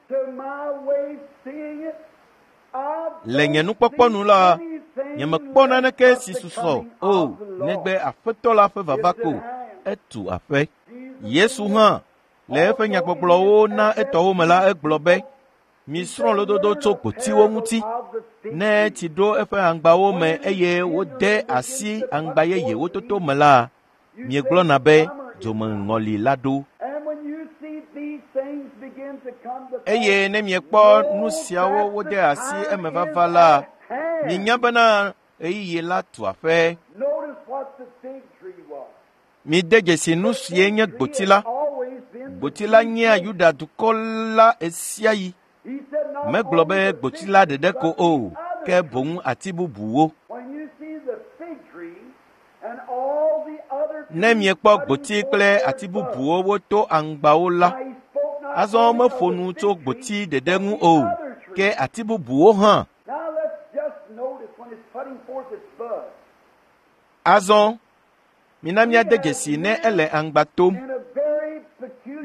Le nye nukpɔkpɔ nu la, nyemekpɔ naneke si susɔ o negbe Aƒetɔ la ƒe vava ko etu aƒe. Yesu hã le eƒe nyagbɔgblɔwo na etɔwo me la egblɔ be, misrɔ̃ lododo tso gbotiwo ŋuti. Ne tsi ɖo eƒe aŋgbawo me eye wode asi aŋgba yeyewo toto me la, miegblɔna be dzomeŋɔli la ɖo. Eye ne miekpɔ nu siawo wode asi emevava la, minya bena ɣeyiɣi la tu aƒe. Mide dzesi nu sie nye gboti la. Gboti la nyea Yuda dukɔ la ɣesiaɣi. Megblɔ be gboti la ɖeɖe ko o, ke boŋ ati bubuwo. Ne miekpɔ gboti kple ati bubuwo woto aŋgbawo la, azɔ meƒo nu tso gboti ɖeɖe ŋu o, ke ati bubuwo hã. Azɔ mina míade dzesi ne ele aŋgba tom.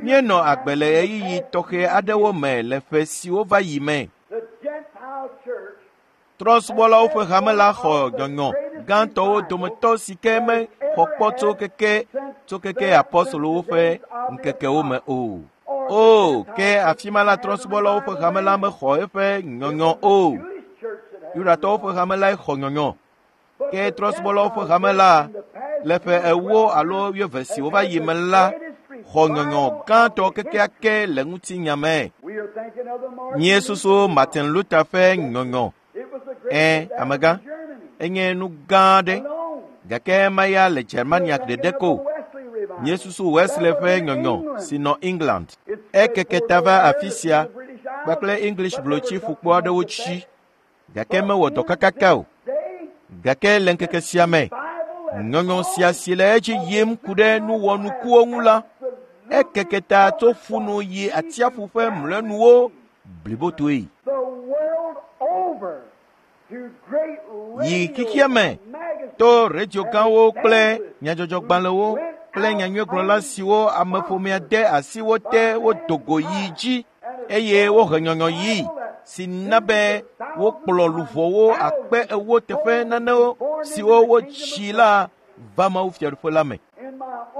Míenɔ agbe le ɣeyiɣi tɔxɛ aɖewo me le ƒe siwo va yi me. Trɔ̃subɔlawo ƒe hame la xɔ nyɔnyɔ gãtɔwo dometɔ si ke mexɔ kpɔ tso keke tso keke apɔstolowo ƒe ŋkekewo me o. O, ke afi ma la trɔ̃subɔlawo ƒe hame la mexɔ eƒe nyɔnyɔ o. Yudatɔwo ƒe hame lae xɔ nyɔnyɔ. Ke trɔ̃subɔlawo ƒe hame la le ƒe ewo alo wuieve si wova yi me la xɔ nyɔnyɔ gãtɔ kekeake le ŋutinya me. Míesusu Martin Luther ƒe nyɔnyɔ. Ẽ, amegã, enye nu gã aɖe gake maya le Germania ɖeɖe ko. Míesusu Wesley ƒe nyɔnyɔ si nɔ England. Ekeke ta va afi sia kpakple English blotsi ƒukpo aɖewo tsi gake mewɔ dɔ kakaka o. Gake le ŋkeke sia me, nyɔnyɔ sia si le edzi yim ku ɖe nuwɔnukuwo ŋu la, ekeke ta tso ƒunu yi atsiaƒu ƒe mlɔenuwo blibotoe. Yi xexea me to radio gãwo kple nyadzɔdzɔgbalẽwo kple nyanyuigblɔla siwo ameƒomea de asi wo te wodo go yi dzi eye wohe nyɔnyɔ yi si na be wokplɔ luʋɔwo akpe ewo teƒe nanewo siwo wotsi la va Mawu Fiaɖuƒe la me.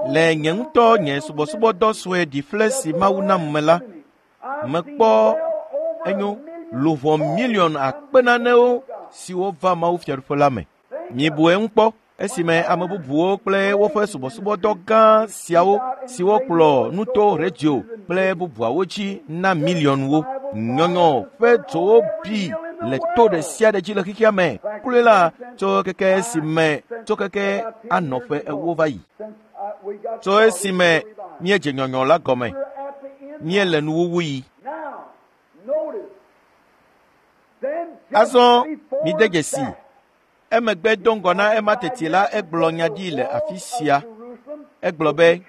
Le nye ŋutɔ nye subɔsubɔdɔ sue ɖifle si Mawu nam me la, mekpɔ enyo luʋɔ miliɔn akpe nanewo siwo va Mawu Fiaɖuƒe la me. Mibu eŋu kpɔ esime ame bubuwo kple woƒe subɔsubɔdɔ gã siawo siwo kplɔ nuto radio kple bubuawo dzi na miliɔnwo. Nyɔnyɔ ƒe dzowo bi le to ɖe sia ɖe dzi le xexea me. Kloe la tso keke esime tso keke anɔ ƒe ewo va yi. Tso esime míedze nyɔnyɔ la gɔme, míele nuwuwu yi. Azɔ mide dzesi. Emegbe do ŋgɔ na ema teti la egblɔ nya ɖi le afi sia. Egblɔ be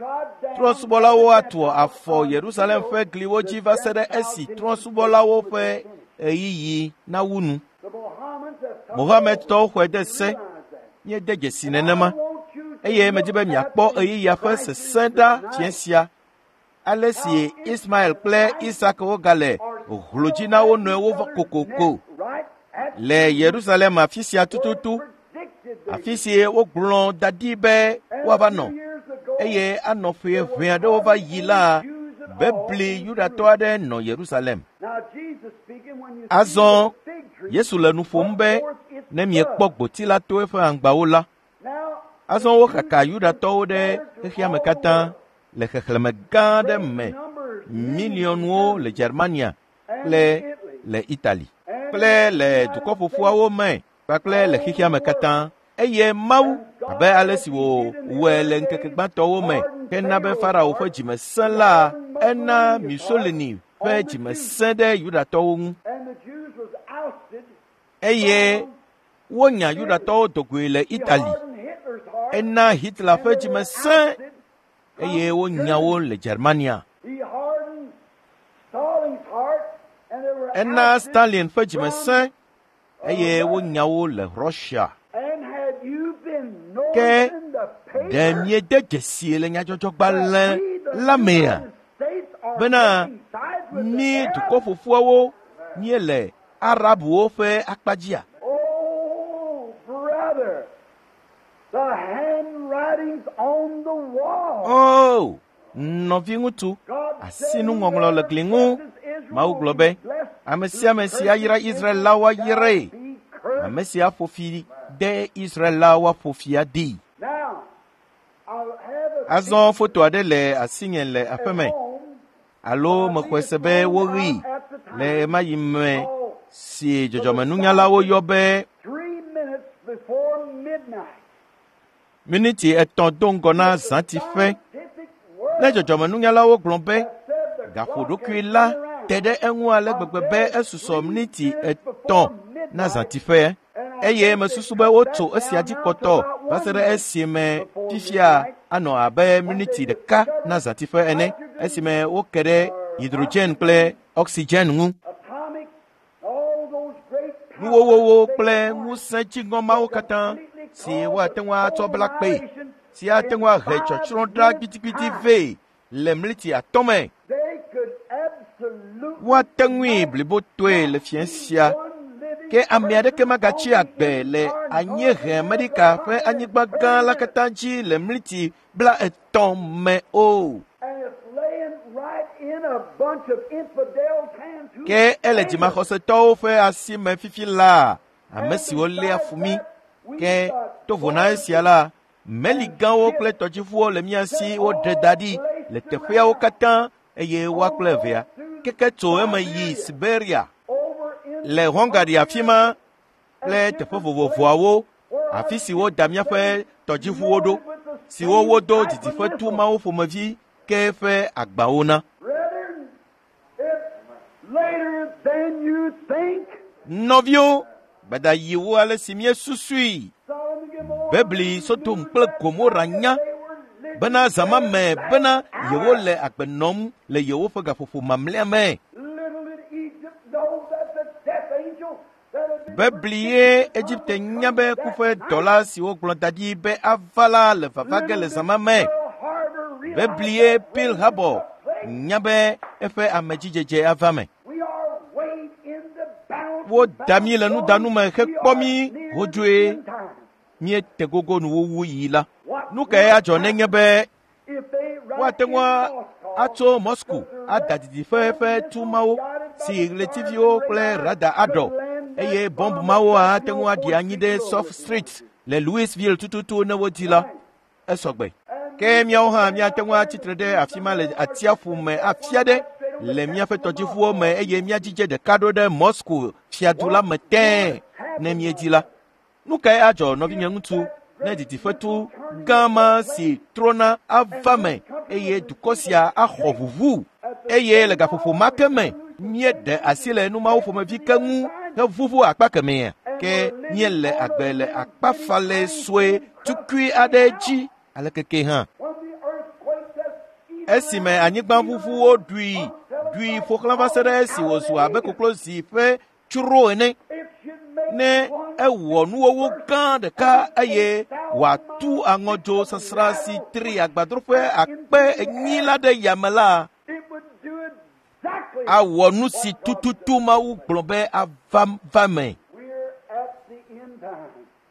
trɔ̃subɔlawo atu afɔ Yerusalem ƒe gliwo dzi va se ɖe esi trɔ̃subɔlawo ƒe ɣeyiɣi nawu nu. Mohamedtɔwo xɔe de se. Míede dzesi nenema eye medi be miakpɔ ɣeyiɣia ƒe sesẽ ɖa fiẽ sia. Ale si Ismael kple Isak wogale hlo dzi na wo nɔewo kokoko le Yerusalem afi sia tututu, afi si wogblɔ da ɖi be woava nɔ eye anɔ ƒe ʋɛ aɖewo va yi la, bebli Yudatɔ aɖe nɔ Yerusalem. Azɔ Yesu le nu ƒom be ne miekpɔ gboti la to eƒe aŋgbawo la. Azɔ wokaka Yudatɔwo ɖe xexea me katã le xexlẽme gã aɖe me, miliɔnwo le Germania kple le Itali kple le dukɔ ƒoƒuawo me kpakple le xexea me katã. Eye Mawu, abe ale si wòwɔe le ŋkeke gbãtɔwo me hena be Farao ƒe dzime sẽ la, ena Mussolini ƒe dzime sẽ ɖe Yudatɔwo ŋu. Eye wonya Yudatɔwo dogoe le Itali. Ena Hitler ƒe dzime sẽ eye wonya wo le Germania. Ena Stalin ƒe dzime sẽ eye wonya wo le Russia. Ke ɖe miede dzesi le nyadzɔdzɔgbalẽ la mea bena mí dukɔ ƒoƒuawo míele Arabuwo ƒe akpa dzia? Oh, nɔviŋutsu, asinuŋɔŋlɔ le gli ŋu. Mawu gblɔ be, ame sia ame si ayra Israel la woayrae. Ame si aƒo fi de Israel la woaƒo fi adee. Azɔ foto aɖe le asinye le aƒeme alo mexɔe se be woɣii le ɣemaɣi me si dzɔdzɔmenunyalawo yɔ be miniti etɔ̃ do ŋgɔ na zãtiƒe. Ne dzɔdzɔmenunyalawo gblɔ be gaƒoɖokui la te ɖe eŋu ale gbegbe be esusɔ miniti etɔ̃ na zãtiƒe eye mesusu be wotso esia dzi kpɔtɔ va se ɖe esime fifia anɔ abe miniti ɖeka na zãtiƒe ene esime woke ɖe hydrogen kple oxygen ŋu. Nuwowowo kple ŋusẽ dziŋɔ mawo katã si woate ŋu atsɔ bla kpee si ate ŋu ahe tsɔtsrɔ̃ ɖa gbidigbidi vɛ le mliti atɔ̃ me. Woate ŋui blibotoe le fiẽ sia ke ame aɖeke magatsi agbe le anyiehe Amerika ƒe anyigba gã la katã dzi le mliti bla etɔ̃ me o. Ke ele dzimaxɔsetɔwo ƒe asi me fifi laa, ame siwo léa fu mí. Ke to vo na esia la, meli gãwo kple tɔdziʋuwo le mía si woɖe da ɖi le teƒeawo katã eye woa kple evea keke tso eme yi Siberia le Hungary afi ma kple teƒe vovovoawo afi si woda míaƒe tɔdziʋuwo ɖo siwo wodo didiƒetu mawo ƒomevi ke ƒe agbawo na. Nɔviwo, gbadayiwo ale si míesusui. Bebli Sodom kple Gomora nya bena zã me bena yewole agbe nɔm le yewoƒe gaƒoƒo mamlɛa me. Beblie Egipte nya be kuƒe dɔla si wogblɔ da ɖi be ava la le vava ge le zã ma me. Beblie Pearl Harbor nya be eƒe amedzidzedze ava me. Woda mí le nudanu me hekpɔ mí hodzoe. Míete gogo nuwuwu yi la. Nu kae adzɔ nenye be woate ŋu atso Moscow ada didiƒe ƒe tu mawo si ɣletiviwo kple rada aɖɔ eye bɔmb mawo ate ŋu aɖi anyi ɖe South Street le Louisville tututu ne wodi la, esɔgbe. Ke míawo hã míate ŋu atsitre ɖe afi ma le atsiaƒu me afia ɖe le míaƒe tɔdziʋuwo me eye míadzidze ɖeka ɖo ɖe Moscow fiadu la me tẽe ne míedi la. Nu kae adzɔ nɔvinye ŋutsu ne didiƒetu gã ma si trɔna ava me eye dukɔ sia axɔ ʋuʋu eye le gaƒoƒo ma ke me míeɖe asi le numawo ƒomevi ke ŋu heʋuʋu akpa kemɛa ke míele agbe le akpafalɛ sue tukui aɖe dzi alekeke hã. Esime anyigbaʋuʋuwo ɖui ɖui ƒo xlã va se ɖe esi wòzu abe koklozi ƒe tsro ene. Ne ewɔ nuwɔwɔ gã ɖeka eye wòatu aŋɔdzo sasra si tri agbadroƒe akpe enyi la ɖe yame la, awɔ nu si tututu Mawu gblɔ be ava va me.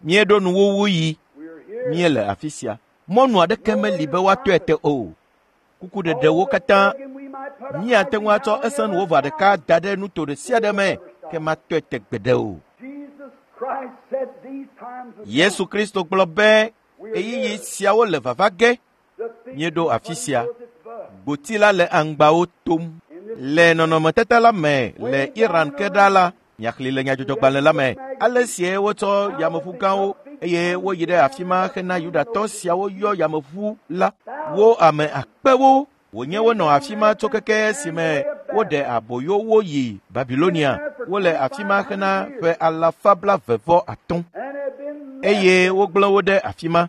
Míeɖo nuwuwu yi, míele afi sia. Mɔnu aɖeke meli be woatɔe te o. Kukuɖeɖewo katã míate ŋu atsɔ esenuwova ɖeka da ɖe nuto ɖe sia ɖe me ke matɔe te gbeɖe o. Yesu Kristo gblɔ be ɣeyiɣi siawo le vava ge. Míeɖo afi sia. Gboti la le aŋgbawo tom. Le nɔnɔmetata la me le Iran ke ɖa la, miaxlẽ le nyadzɔdzɔgbalẽ la me. Ale sie wotsɔ yameʋu gãwo eye woyi ɖe afi ma hena Yudatɔ siawo yɔ yameʋu la. Wo ame akpewo wònye wonɔ afi ma tso keke esime woɖe aboyo wo yi Babilonia. Wole afi ma hena ƒe alafa blaeve vɔ atɔ̃ eye wogblẽ wo ɖe afi ma.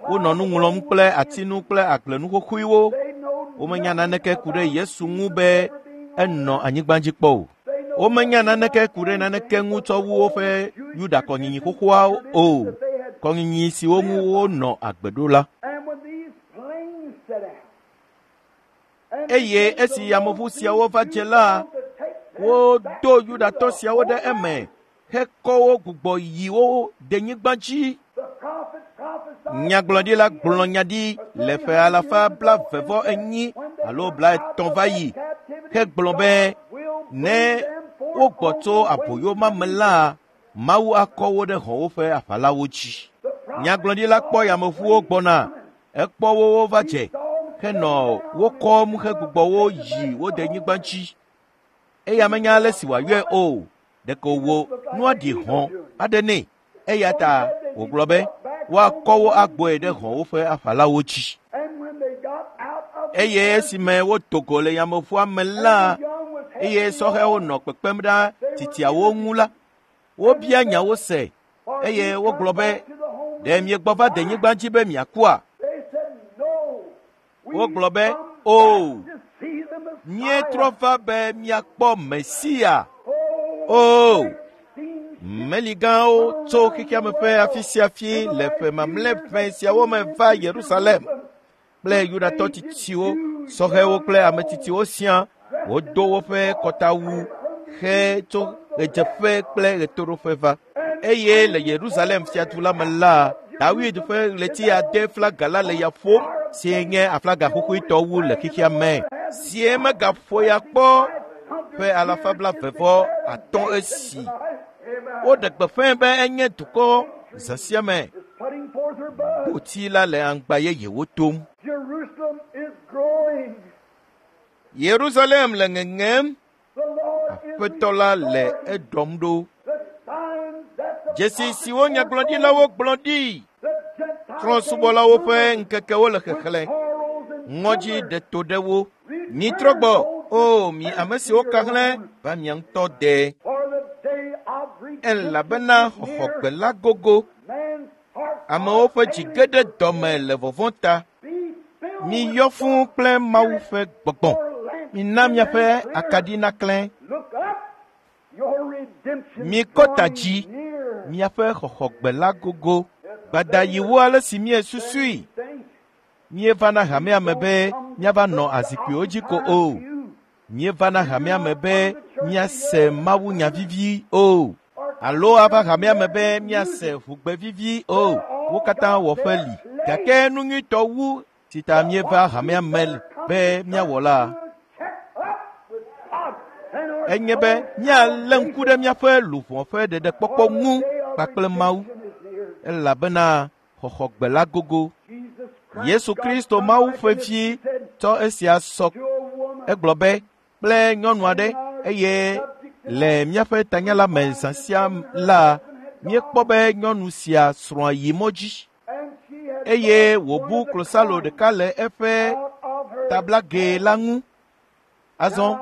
Wonɔ nu ŋlɔm kple atinu kple agblenu xoxoewo. Womenya naneke ku ɖe Yesu ŋu be enɔ anyigba dzi kpɔ o. Womenya naneke ku ɖe naneke ŋu tsɔ wu woƒe Yuda kɔnyinyi xoxoawo o, kɔnyinyi siwo ŋu wonɔ agbe ɖo la. Eye esi yameʋu siawo va dze la, wodo Yudatɔ siawo ɖe eme hekɔ wo gbugbɔ yi wo denyigba dzi. Nyagblɔɖila gblɔ nya ɖi le ƒe alafa blaeve-vɔ-enyi alo blaetɔ̃ va yi hegblɔ be ne wogbɔ tso aboyo ma me la, Mawu akɔ wo ɖe hɔ̃wo ƒe aʋalawo dzi. Nyagblɔɖila kpɔ yameʋuwo gbɔna, ekpɔ wo wova dze henɔ wo kɔm hegbugbɔ wo yi wo denyigba dzi. Eya menya ale si wòayɔe o, ɖeko wò nua ɖi hɔ̃ aɖe nɛ. Eya ta wògblɔ be woakɔ wo agbɔe ɖe hɔ̃wo ƒe aʋalawo dzi. Eye esime wodo go le yameʋua me la, eye sɔhɛwo nɔ kpekpem ɖe titiawo ŋu la, wobia nyawo se eye wogblɔ be, ɖe miegbɔ va denyigba dzi be miakua? Wogblɔ be, o, míetrɔ va be míakpɔ Mesia. O, meligãwo tso xexeame ƒe afi sia afi le ƒe mamlɛ ʋɛ siawo me va Yerusalem kple Yudatɔ tsitsiwo, sɔhɛwo kple ame tsitsiwo siaa. Wodo woƒe kɔtawu he tso ɣedzeƒe kple ɣetoɖoƒe va. Eye le Yerusalem fiadu la me la, Dawid ƒe ɣleti ade flaga la le ya ƒom, si nye aflaga xoxoetɔ wu le xexea me, sie megaƒo ya kpɔ ƒe alafa blaeve vɔ atɔ̃ esi. Woɖe gbeƒãe be enye dukɔ zã sia me. Gboti la le aŋgba yeyewo tom. Yerusalem le ŋeŋem, Aƒetɔ la le eɖɔm ɖo. Dzesi siwo nyagblɔɖilawo gblɔ ɖi, trɔ̃subɔlawo ƒe ŋkekewo le xexlẽ, ŋɔdzi ɖe to ɖe wo. Mitrɔ gbɔ, o mi ame siwo ka hlẽ va mia ŋutɔ de. Elabena xɔxɔgbe la gogo. Amewo ƒe dzi ge ɖe dɔme le vɔvɔ̃ ta. Miyɔ fũu kple Mawu ƒe gbɔgbɔ. Mina miaƒe akaɖi naklẽ. Mikɔ ta dzi, miaƒe xɔxɔgbe la gogo. Gbadayiwo ale si míesusui. Míeva na hamea me be míava nɔ azikpuiwo dzi ko o. Míeva na hamea me be míase Mawu nya vivi o. Alo ava hamea me be míase ʋugbe vivi o. Wo katã wɔ ƒe li. Gake nu nyuitɔ wu si ta míeva hamea me be míawɔ la, enye be míalé ŋku ɖe míaƒe luʋɔ ƒe ɖeɖekpɔkpɔ ŋu kpakple Mawu, elabena xɔxɔgbe la gogo. Yesu Kristo Mawu ƒe vi tsɔ esia sɔ. Egblɔ be kple nyɔnu aɖe eye le míaƒe tanya la me zã sia la, míekpɔ be nyɔnu sia srɔ̃a yi mɔ dzi eye wòbu klosalo ɖeka le eƒe tablagɛ la ŋu. Azɔ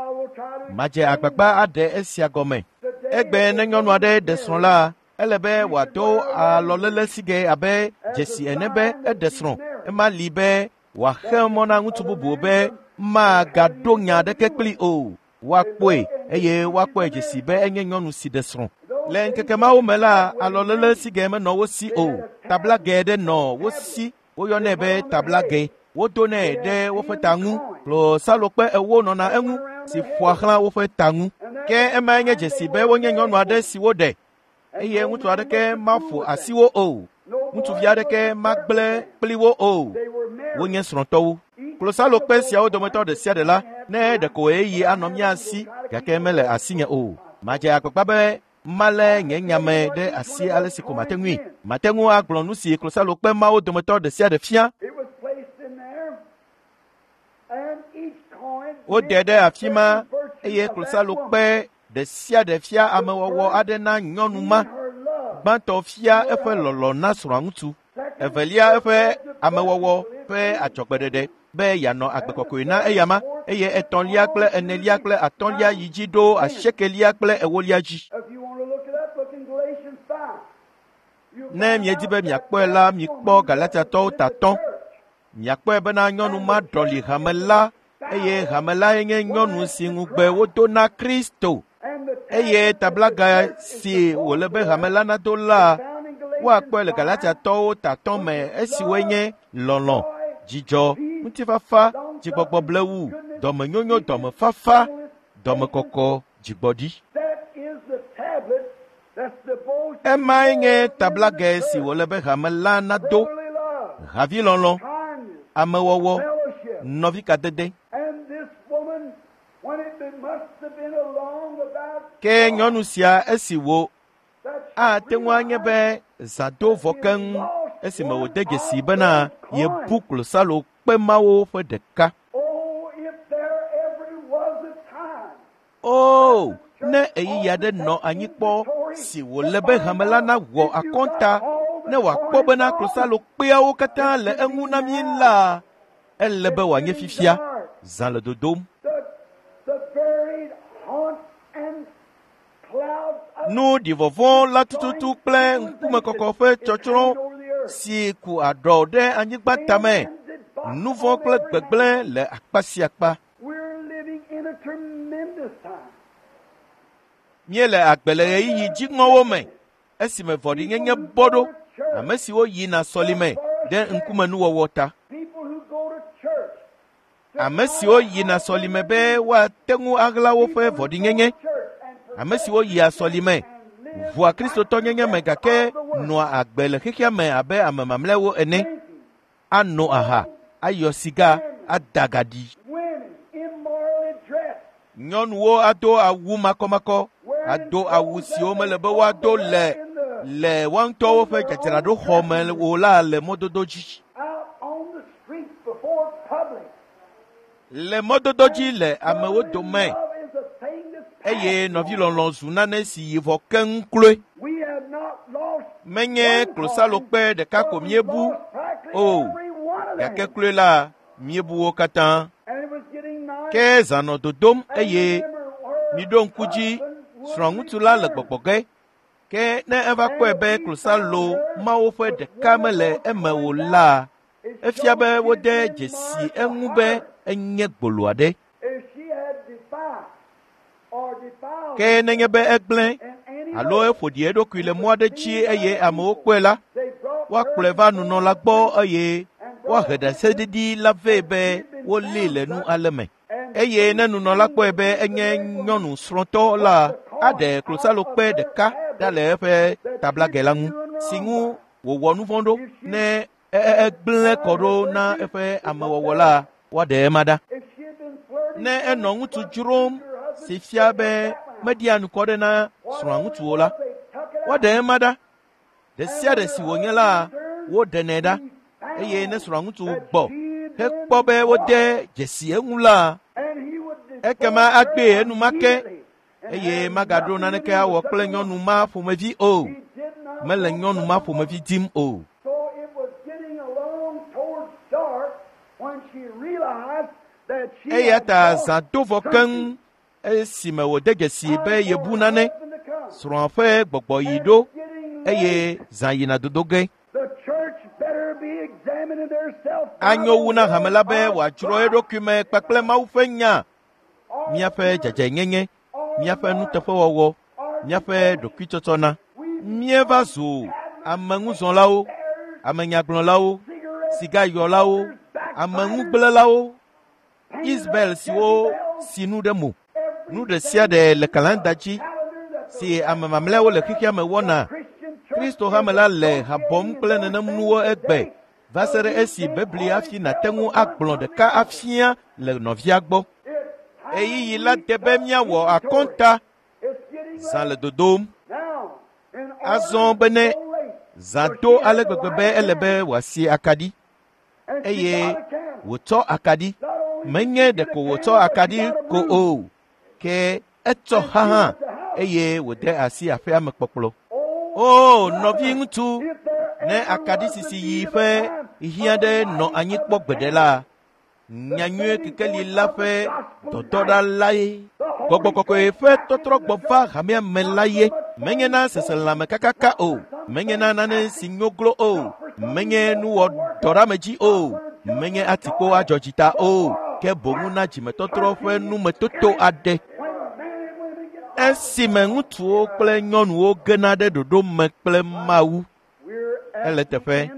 madze agbagba aɖe esia gɔme. Egbe ne nyɔnu aɖe ɖe srɔ̃ la, ele be wòado alɔlele sigɛ abe dzesi ene be eɖe srɔ̃. Ema li be wòaxe mɔ na ŋutsu bubu be magaɖo nya aɖeke kpli o. Woakpɔe eye woakpɔe dzesi be enye nyɔnu si ɖe srɔ̃. Le ŋkeke mawo me la, alɔlele sigɛ menɔ wo si o. Tablagɛ ɖe nɔ wo si, woyɔnɛ be tablagɛ. Wodonɛ ɖe woƒe ta ŋu. Klosalokpe ewo nɔna eŋu si ƒoa xlã woƒe ta ŋu. Ke emae nye dzesi be wonye nyɔnu aɖe si woɖe eye ŋutsu aɖeke maƒo asi wo o. Ŋutsuvi aɖeke magblẽ kpli wo o. Wonye srɔ̃tɔwo. Klosalokpe siawo dometɔ ɖe sia ɖe la, ne ɖeko ɣeyiɣi anɔ mía si gake mele asinye o. Madze agbagba be malé nye nyame ɖe asi ale si ko mate ŋui. Mate ŋu agblɔ nu si klosalokpe mawo dometɔ ɖe sia ɖe fia. Woɖe ɖe afi ma eye klosalokpe ɖe sia ɖe fia amewɔwɔ aɖe na nyɔnu ma. Gbãtɔ fia eƒe lɔlɔ̃ na srɔ̃aŋutsu, evelia eƒe amewɔwɔ ƒe adzɔgbeɖeɖe be yeanɔ agbe kɔkɔe na eyama, eye etɔ̃lia kple enelia kple atɔ̃lia yi dzi ɖo asiekelia kple ewolia dzi. Ne miedi be miakpɔe la, mikpɔ Galatiatɔwo tatɔ̃. Miakpɔe bena nyɔnu ma ɖɔli hame la, eye hame lae nye nyɔnu si ŋugbe wodo na Kristo. Eye tablaga si wòle be hame la nado la, woakpɔe le Galatiatɔwo tatɔ me esiwoe nye lɔlɔ̃, dzidzɔ, ŋutifafa, dzigbɔgbɔ blewu, dɔmenyonyo, dɔmefafa, dɔmekɔkɔ, dzigbɔɖi. Emae nye tablagɛ si wòle be hame la nado, havilɔlɔ̃, amewɔwɔ, nɔvikadede. Ke nyɔnu sia esi wo ate ŋu anye be zã do vɔ keŋ esime wòde dzesi bena yebu klosalo kpe mawo ƒe ɖeka. O, ne ɣeyiɣi aɖe nɔ anyi kpɔ si wòle be hame la nawɔ akɔnta ne wòakpɔ bena klosalo kpeawo katã le eŋu na mí la, ele be wòanye fifia. Zã le dodom. Nu ɖivɔvɔ̃ la tututu kple ŋkumekɔkɔ ƒe tsɔtsrɔ̃ si ku aɖɔ ɖe anyigba tame, nu vɔ̃ kple gbegblẽ le akpa sia akpa. Míele agbe le ɣeyiɣi dziŋɔwo me esime vɔ̃ɖinyenye bɔ ɖo ame siwo yina sɔlime ɖe ŋkumenuwɔwɔ ta. Ame siwo yina sɔlime be woate ŋu aɣla woƒe vɔ̃ɖinyenye. Ame siwo yia sɔlime ʋua kristotɔnyenye me gake nɔa agbe le xexea me abe ame mamlɛawo ene, ano aha, ayɔ siga, ada gaɖi. Nyɔnuwo ado awu makɔmakɔ, ado awu siwo mele be woado le le woa ŋutɔwo ƒe dzadzraɖoxɔ me o la le mɔdodo dzi. Le mɔdodo dzi le amewo dome eye nɔvilɔlɔ̃ zu nane si yi vɔ keŋ kloe. Menye klosalokpe ɖeka ko míebu o, gake kloe la míebu wo katã. Ke zã nɔ dodom eye miɖo ŋku dzi srɔ̃ŋutsu la le gbɔgbɔ ge. Ke ne eva kpɔe be klosalo mawo ƒe ɖeka mele eme o la, efia be wode dzesi eŋu be enye gbolo aɖe. Ke nenye be egblẽ alo eƒo ɖi eɖokui le mɔ aɖe dzi eye amewo kpɔe la, woakplɔe va nunɔla gbɔ eye woahe ɖaseɖiɖi la vɛ be wolée le nu ale me. Eye ne nunɔla kpɔe be enye nyɔnu srɔ̃tɔ la, aɖe klosalokpe ɖeka ɖa le eƒe tablagɛ la ŋu si ŋu wòwɔ nu vɔ̃ ɖo ne egblẽ kɔ ɖo na eƒe amewɔwɔ la, woaɖe ema ɖa. Ne enɔ ŋutsu dzrom si fia be meɖia nukɔ ɖe na srɔ̃a ŋutsuwo la, woaɖe ema ɖa. Ɖe sia ɖe si wònye la, woɖenɛ ɖa. Eye ne srɔ̃a ŋutsu gbɔ hekpɔ be wode dzesi eŋu la, ekema agbee enumake eye magaɖo naneke awɔ kple nyɔnu ma ƒomevi o. Mele nyɔnu ma ƒomevi dim o. Eya ta zã do vɔ keŋ esime wòde dzesi be yebu nane, srɔ̃a ƒe gbɔgbɔ yi ɖo eye zã yina dodo ge. Anyo wu na hame la be wòadzro eɖokui me kpakple Mawu ƒe nya, míaƒe dzadzɛnyenye, míaƒe nuteƒewɔwɔ, míaƒe ɖokuitsɔtsɔna. Míeva zu ameŋuzɔlawo, amenyagblɔlawo, sigayɔlawo, ameŋugblẽlawo, Isabel siwo si nu ɖe mo. Nu ɖe sia ɖe le kalanda dzi si ame mamlɛawo le xexea me wɔna. Kristo hame la le ha bɔm kple nenem nuwo egbe va se ɖe esi bebli hafi nàte ŋu agblɔ ɖeka afia le nɔvia gbɔ. Ɣeyiɣi la de be míawɔ akɔnta. Zã le dodom. Azɔ bene zã do ale gbegbe be ele be wòasi akaɖi. Eye wòtsɔ akaɖi. Menye ɖeko wòtsɔ akaɖi ko o, ke etsɔ xa hã eye wòde asi aƒea me kpɔkplɔ. O, nɔviŋutsu, ne akaɖi sisi yi ƒe hiã ɖe nɔ anyi kpɔ gbeɖe la, nyanyuie kekeli la ƒe dɔdɔɖa lae. Gbɔgbɔ kɔkɔe ƒe tɔtrɔgbɔ va hamea me la ye. Menye na seselãme kakaka o, menye na nane si nyo glo o, menye nuwɔdɔɖeamedzi o, menye atikpo adzɔdzita o, ke boŋu na dzimetɔtrɔ ƒe numetoto aɖe. Esime ŋutsuwo kple nyɔnuwo gena ɖe ɖoɖo me kple Mawu, ele teƒe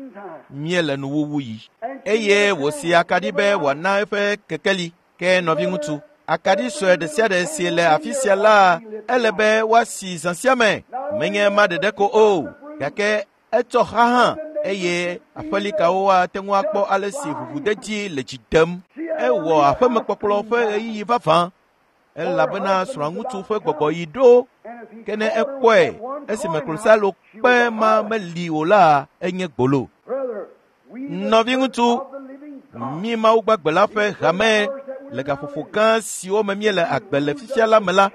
míele nuwuwu yi. Eye wòsi akaɖi be wòana eƒe kekeli. Ke nɔviŋutsu, akaɖi sue ɖe sia ɖe si le afi sia la, ele be woasi zã sia me. Menye ma ɖeɖe ko o, gake etsɔ xa hã eye aƒelikawo ate ŋu akpɔ ale si ʋuʋudedi le dzi dem. Ewɔ aƒemekpɔkplɔ ƒe ɣeyiɣi vavã elabena srɔ̃ŋutsu ƒe gbɔgbɔ yi ɖo. Ke ne ekpɔe esime klosalo kpe ma meli o la, enye gbolo. Nɔviŋutsu, mí Mawu gbagbe la ƒe hame le gaƒoƒo gã siwo me míele agbe le fifia la me la,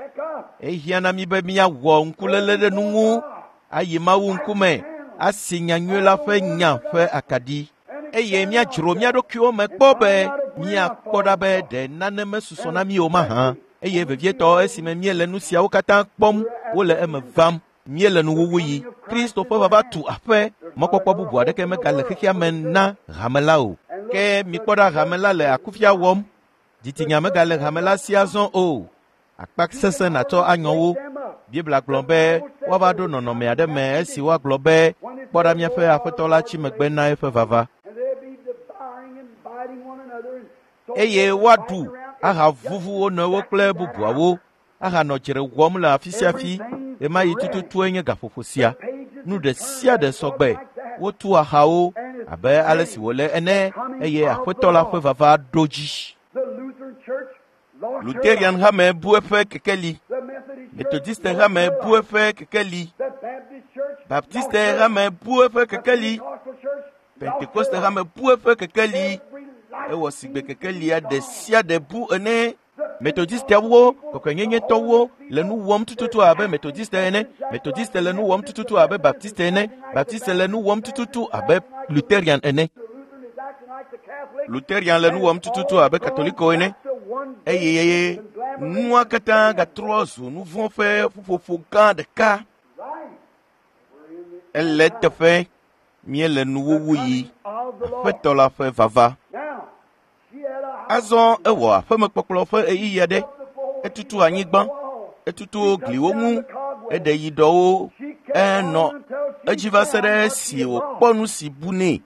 ehiã na mí be míawɔ ŋkuléle ɖe nu ŋu ayi Mawu ŋkume asi nyanyui la ƒe nya ƒe akaɖi eye míadzro mía ɖokuiwo me kpɔ be míakpɔ ɖa be ɖe nane mesusɔ na mí o mahã. Eye vevietɔ esime míele nu siawo katã kpɔm wole eme vam, míele nuwuwu yi. Kristo ƒe vava tu aƒe, mɔkpɔkpɔ bubu aɖeke megale xexea me na hame la o. Ke mikpɔ ɖa hame la le akufia wɔm. Dzitsinya megale hame la si azɔ o. Akpa sesẽ nàtsɔ anyɔ wo. Biblia gblɔ be woava ɖo nɔnɔme aɖe me esi woagblɔ be kpɔ ɖa míaƒe aƒetɔ la tsi megbe na eƒe vava. Eye woaɖu ahavuvu wo nɔewo kple bubuawo ahanɔ dzre wɔm le afi sia afi. Ɣemaɣi tututue nye gaƒoƒo sia. Nu ɖe sia ɖe sɔgbe. Wotu axawo abe ale si wòle ene eye aƒetɔ la ƒe vava ɖo dzi. Lutheran hame bu eƒe kekeli. Methodiste hame bu eƒe kekeli. Baptiste hame bu eƒe kekeli. Pentekoste hame bu eƒe kekeli. Ewɔ sigbe kekelia ɖe sia ɖe bu ene. Methodistewo, kɔkɔenyenyetɔwo le nu wɔm tututu abe Methodiste ene. Methodiste le nu wɔm tututu abe Baptiste ene. Baptiste le nu wɔm tututu abe Lutheran ene. Lutheran le nu wɔm tututu abe Katoliko ene. Eye nua katã gatrɔ zu nu vɔ̃ ƒe ƒuƒoƒo gã ɖeka. Ele teƒe míele nuwuwu yi. Aƒetɔ la ƒe vava. Azɔ ewɔ aƒemekpɔkplɔ ƒe ɣeyiɣi aɖe. Etutu anyigba, etutu gliwo ŋu, eɖe yiɖɔwo, enɔ edzi va se ɖe esi wòkpɔ nu si bu nɛ.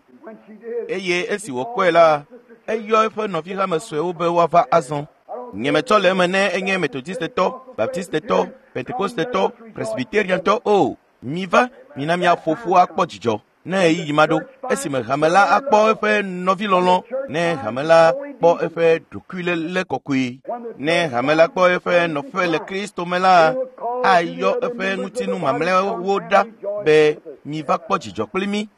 Eye esi wòkpɔe la, eyɔ eƒe nɔvi hame suewo be woava azɔ. Nyemetsɔ le eme ne enye Methodistetɔ, Baptistetɔ, Pentekostetɔ, Presbyteriantɔ o. Miva, mina míaƒo ƒu akpɔ dzidzɔ. Ne ɣeyiɣi ma ɖo, esime hame la akpɔ eƒe nɔvilɔlɔ̃, ne hame la kpɔ eƒe ɖokuiléle kɔkɔe, ne hame la kpɔ eƒe nɔƒe le Kristo me la, ayɔ eƒe ŋutinu mamlɛawo ɖa be miva kpɔ dzidzɔ kpli mí.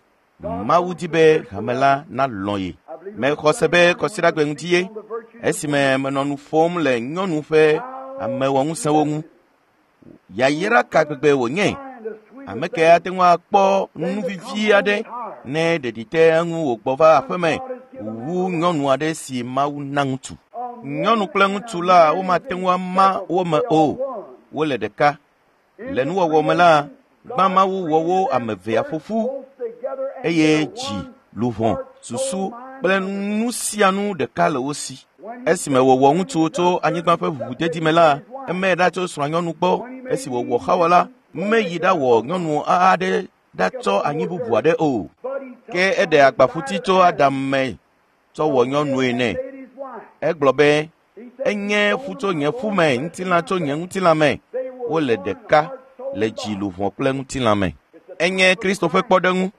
Mawu di be hame la nalɔ̃ ye. Mexɔ se be kɔsiɖagbe ŋuti ye esime menɔ nu ƒom le nyɔnu ƒe amewɔŋusẽwo ŋu. Yayra ka gbegbe wònye? Ame ke ate ŋu akpɔ nu vivi aɖe ne ɖeɖi te eŋu wògbɔ va aƒeme wu nyɔnu aɖe si Mawu na ŋutsu. Nyɔnu kple ŋutsu la womate ŋu ama wo me o. Wole ɖeka. Le nuwɔwɔ me la, gbã Mawu wɔ wo ame evea ƒo ƒu eye dzi, luʋɔ, susu kple nu sia nu ɖeka le wo si. Esime wòwɔ ŋutsu tso anyigba ƒe ʋuʋudedi me la, emee ɖa tso srɔ̃anyɔnu gbɔ. Esi wòwɔ Xawa la, meyi ɖawɔ nyɔnu aɖe ɖatsɔ anyi bubu aɖe o. Ke eɖe agbaƒuti tso Adam me tsɔ wɔ nyɔnue nɛ. Egblɔ be, enye ƒu tso nye ƒu me, ŋutilã tso nye ŋutilã me. Wole ɖeka le dzi, luʋɔ kple ŋutilã me. Enye Kristo ƒe kpɔɖeŋu.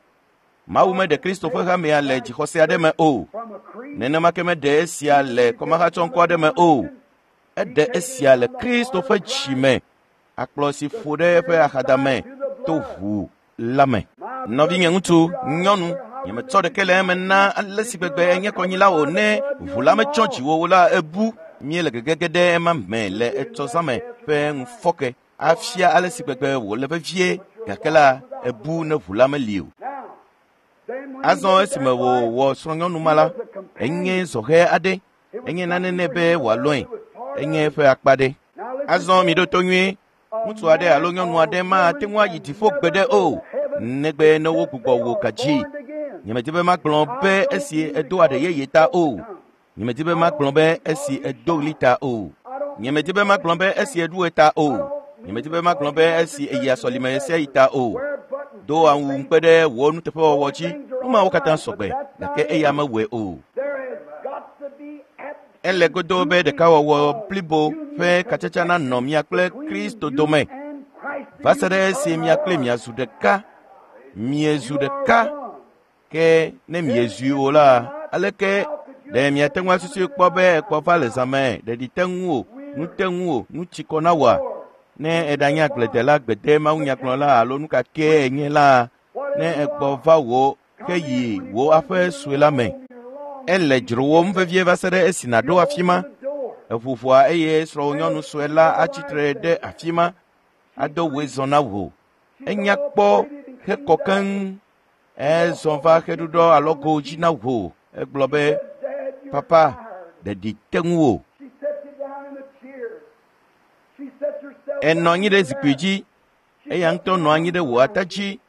Mawu meɖe Kristo ƒe hamea le dzixɔse aɖe me o. Nenema ke meɖe esia le kɔmahatsɔŋkɔ aɖe me o. Eɖe esia le Kristo ƒe dzi me. Akplɔ si ƒo ɖe eƒe axadame to ʋu la me. Nɔvinye ŋutsu, nyɔnu, nyemetsɔ ɖeke le eme na ale si gbegbe enye kɔnyila o ne ʋu la metsɔ dziwò o la ebu. Míele gegege ɖe ema me le etsɔzãme ƒe ŋufɔke afia ale si gbegbe wòle vevie gake la ebu ne ʋu la meli o. Azɔ esime wòwɔ srɔ̃nyɔnu ma la, enye zɔhɛ aɖe, enye nane nɛ be wòalɔ̃e, enye eƒe akpa ɖe. Azɔ miɖo to nyuie. Ŋutsu aɖe alo nyɔnu aɖe mate ŋu ayi dziƒo gbeɖe o, negbe ne wogbugbɔ wò gadzi. Nyemedi be magblɔ be esi edo aɖe yeye ta o. Nyemedi be magblɔ be esi edo ɣli ta o. Nyemedi be magblɔ be esi eɖu ta o. Nyemedi be magblɔ be esi eyia sɔlime ɣe sia ɣi ta o. Do awu ŋukpe ɖe wò nuteƒewɔwɔ dzi. Nu mawo katã sɔgbe, gake eya mewɔe o. Ele godo be ɖekawɔwɔ blibo ƒe katsatsa nanɔ mia kple Kristo dome va se ɖe esi mia kple miazu ɖeka. Miezu ɖeka. Ke ne miezui o la, aleke ɖe miate ŋu asusui kpɔ be ekpɔ va le zãme, ɖeɖi te ŋu o, nu te ŋu o, nu tsi kɔ na wòa? Ne eɖanye agbledela, gbede, mawunyagblɔla alo nu ka kee enye la, ne egbɔ va wò heyi wò aƒe sue la me, ele dzrowòm vevie va se ɖe esi nàɖo afi ma. Eʋu ʋɔa eye srɔ̃wònyɔnu sue la atsi tre ɖe afi ma, ado wòe zɔ na wò. Enya kpɔ hekɔ keŋ. Ezɔ va xeɖuɖɔ alɔgo dzi na wò. Egblɔ be, Papa, ɖeɖi te ŋu wò. Enɔ anyi ɖe zikpui dzi. Eya ŋutɔ nɔ anyi ɖe wò ata dzi.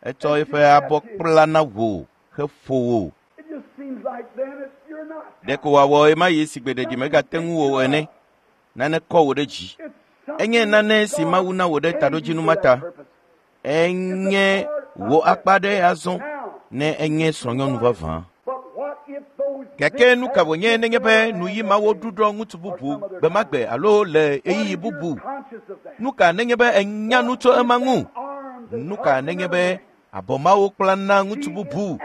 Etsɔ eƒe abɔ kpla na wò heƒo wò. Ɖeko wòawɔ ɣemaɣi si gbe ɖeɖi megate ŋu wò ene. Nane kɔ wò ɖe dzi. Enye nane si Mawu na wò ɖe taɖodzinu ma ta. Enye wò akpa ɖe azɔ ne enye srɔ̃nyɔnu vavã. Gake nu ka wònye nenye be nuyi mawo ɖuɖɔ ŋutsu bubu gbe ma gbe alo le ɣeyiɣi bubu? Nu ka nenye be enya nu tso ema ŋu? Nu ka nenye be abɔ mawo kpla na ŋutsu bubu?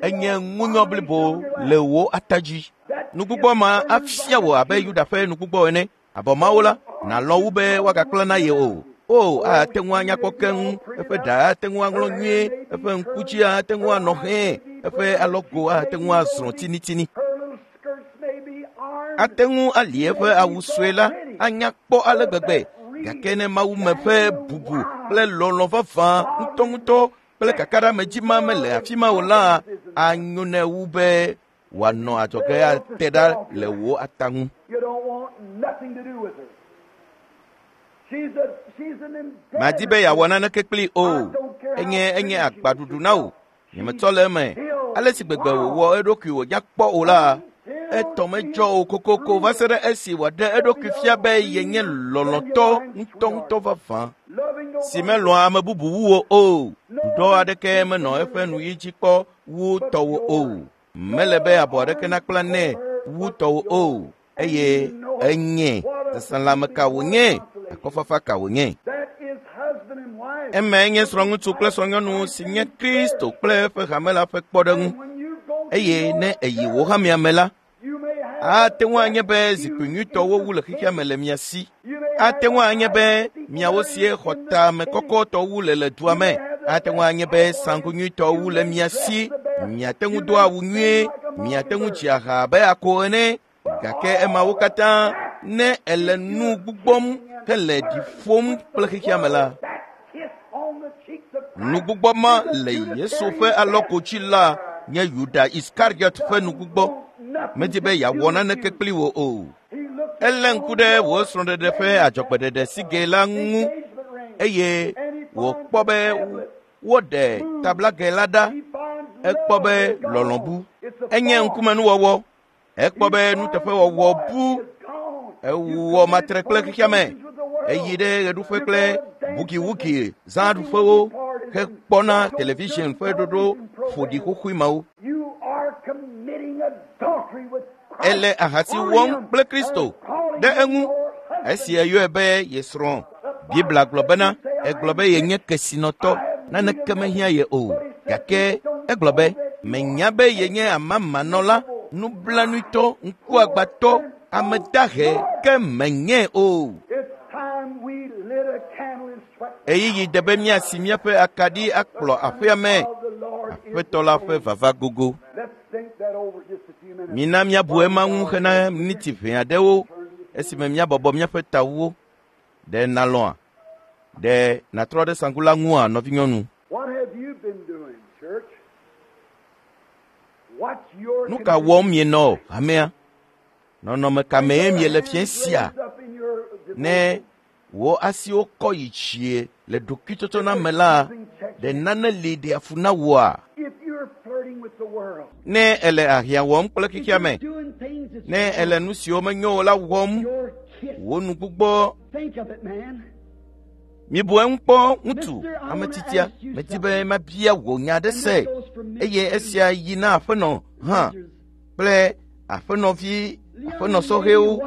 Enye ŋunyɔ blibo le wò ata dzi. Nugbugbɔ ma afia wò abe Yuda ƒe nugbugbɔ ene. Abɔ mawo la, nàlɔ̃ wu be woagakpla na ye o. O, ate ŋu anya kpɔ keŋ, eƒe ɖa ate ŋu aŋlɔ nyuie, eƒe ŋku dzi ate ŋu anɔ hẽ, eƒe alɔgo ate ŋu azrɔ̃ tinitini. Ate ŋu ali eƒe awu sue la anya kpɔ ale gbegbe, gake ne mawume ƒe bubu kple lɔlɔ̃ vavã ŋutɔŋutɔ kple kakaɖeamedzi ma mele afi ma o la, anyo nɛ wu be wòanɔ adzɔge ate ɖa le wò ata ŋu. Madi be yeawɔ naneke kplii o. Enye enye agbaɖuɖu na wò. Nyemetsɔ le eme. Ale si gbegbe wòwɔ eɖokui wònya kpɔ o la, etɔ medzɔ o kokoko va se ɖe esi wòaɖe eɖokui fia be yenye lɔlɔ̃tɔ ŋutɔŋutɔ vavã si melɔ̃a ame bubu wu wò o. Ɖuɖɔ aɖeke menɔ eƒe nuyi dzi kpɔ wu tɔwò o. Mele be abɔ aɖeke nakpla nɛ wu tɔwò o. Eye enye seselãme ka wònye, akɔfafa ka wònye. Emae nye srɔ̃ŋutsu kple srɔ̃nyɔnu si nye Kristo kple eƒe hame la ƒe kpɔɖeŋu. Eye ne èyi wò hamea me la, ate ŋu anye be zikpui nyuitɔwo wu le xexea me le mia si. Ate ŋu anye be miawo sie xɔ tame kɔkɔtɔ wu le le dua me. Ate ŋu anye be sanku nyuitɔ wu le mia si. Miate ŋu do awu nyuie, miate ŋu dzi aha abe ako ene. Gake emawo katã ne ele nu gbugbɔm hele ɖi ƒom kple xexea me la, nugbugbɔ ma le Yesu ƒe alɔgo dzi la nye Yuda Iskariot ƒe nugbugbɔ. Medi be yeawɔ naneke kpli wò o. Elé ŋku ɖe wò srɔ̃ɖeɖe ƒe adzɔgbeɖeɖe sigɛ la ŋu eye wòkpɔ be woɖe tablagɛ la ɖa. Ekpɔ be lɔlɔ̃ bu. Enye ŋkumenuwɔwɔ. Ekpɔ be nuteƒewɔwɔ bu. Ewɔ matre kple xexea me. Eyi ɖe ɣeɖuƒe kple bugiwugi zãɖuƒewo hekpɔna television ƒe ɖoɖo ƒoɖi xoxoe mawo. Ele ahasi wɔm kple Kristo ɖe eŋu esi eyɔe be ye srɔ̃. Biblia gblɔ bena egblɔ be yenye kesinɔtɔ, naneke mehiã ye o. Gake egblɔ be menya be yenye amamanɔla, nublanuitɔ, ŋkuagbãtɔ, ame dahe, ke menye o. Ɣeyiɣi de be míasi míaƒe akaɖi akplɔ aƒea me. Aƒetɔ la ƒe vava gogo. Mina míabu ema ŋu hena miniti ʋɛ aɖewo esime míabɔbɔ míaƒe tawuwo. Ɖe nàlɔ̃a? Ɖe nàtrɔ ɖe sanku la ŋua, nɔvinyɔnu? Nu ka wɔm mienɔ hamea? Nɔnɔme ka mee miele fiẽ sia? Ne wò asiwo kɔ yi tsie le ɖokuitsɔtsɔna me la, ɖe nane li ɖea fu na wòa? Ne èle ahiã wɔm kple xexea me, ne èle nu siwo menyo o la wɔm, wò nugbugbɔ Mibu eŋu kpɔ ŋutsu ame titia medi be mabia wò nya aɖe se eye esia yi na aƒenɔ hã kple aƒenɔvi aƒenɔsɔhɛwo.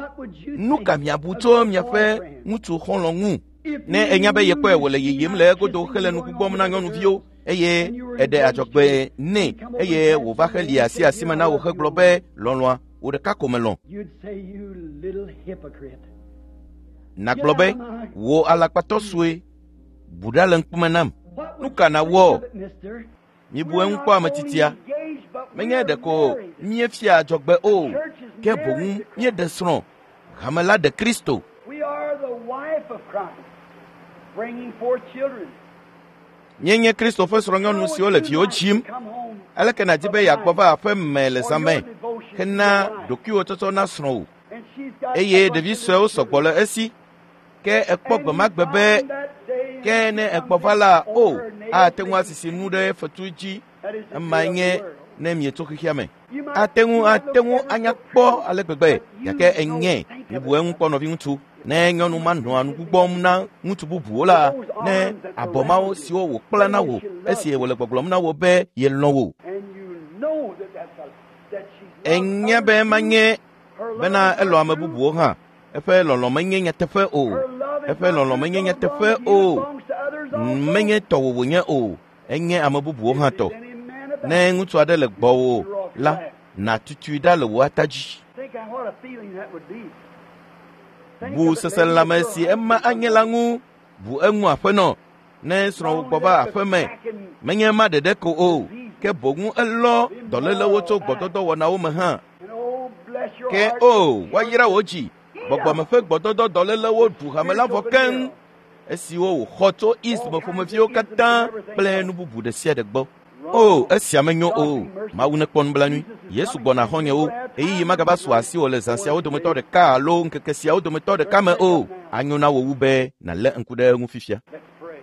Nu ka miabu tso miaƒe ŋutsu xɔlɔ̃ ŋu? Ne enya be yekpɔe wòle yiyim le egodo hele nu gbugbɔm na nyɔnuviwo eye eɖe adzɔgbe nɛ eye wòva heli asi asime na wò hegblɔ be lɔlɔ̃a wò ɖeka ko melɔ̃. Nàgblɔ be wò alakpatɔ sue bu ɖa le ŋkume nam. Nu ka nàwɔ? Mibu eŋu kpɔ ame titia. Menye ɖeko míefia adzɔgbe o, ke boŋ míeɖe srɔ̃. Hame la ɖe Kristo. Míenye Kristo ƒe srɔ̃nyɔnu siwo le viwo dzim. Aleke nàdi be yeagbɔ va aƒe me le zã me hena ɖokuiwò tsɔtsɔ na srɔ̃wò eye ɖevi suewo sɔgbɔ le esi ke ekpɔ gbe ma gbe be ke ne ekpɔ va la o ate ŋu asisi nu ɖe fetu dzi emae nye ne mietso xexea me. Ate ŋu ate ŋu anya kpɔ ale gbegbe gake enye mibu eŋu kpɔ nɔviŋutsu. Ne nyɔnu ma nɔa nu gbugbɔm na ŋutsu bubuwo la, ne abɔ mawo siwo wòkpla na wò esi wòle gbɔgblɔm na wò be yelɔ̃ wò. Enya be manye bena elɔ̃ ame bubuwo hã. Eƒe lɔlɔ̃ menye nyateƒe o. Eƒe lɔlɔ̃ menye nyateƒe o. Menye tɔwò wònye o. Enye ame bubuwo hã tɔ. Ne ŋutsu aɖe le gbɔwò la, nàtutui ɖa le wò ata dzi. Bu seselãme si ema anye la ŋu. Bu eŋu aƒenɔ. Ne srɔ̃wò gbɔ va aƒe me, menye ema ɖeɖe ko o, ke boŋ elɔ dɔlélewo tso gbɔdɔdɔwɔnawo me hã. Ke o, woayra wò dzi. Gbɔgbɔme ƒe gbɔdɔdɔ dɔlélewo ɖu hame la vɔ keŋ esiwo wòxɔ tso East me ƒomeviwo katã kple nu bubu ɖe sia ɖe gbɔ. O, esia menyo o. Mawu nekpɔ nublanui. Yesu gbɔna xɔ̃nyewo. Ɣeyiɣi magava su asiwò le zã siawo dometɔ ɖeka alo ŋkeke siawo dometɔ ɖeka me o. Anyo na wò wu be nàlé ŋku ɖe eŋu fifia.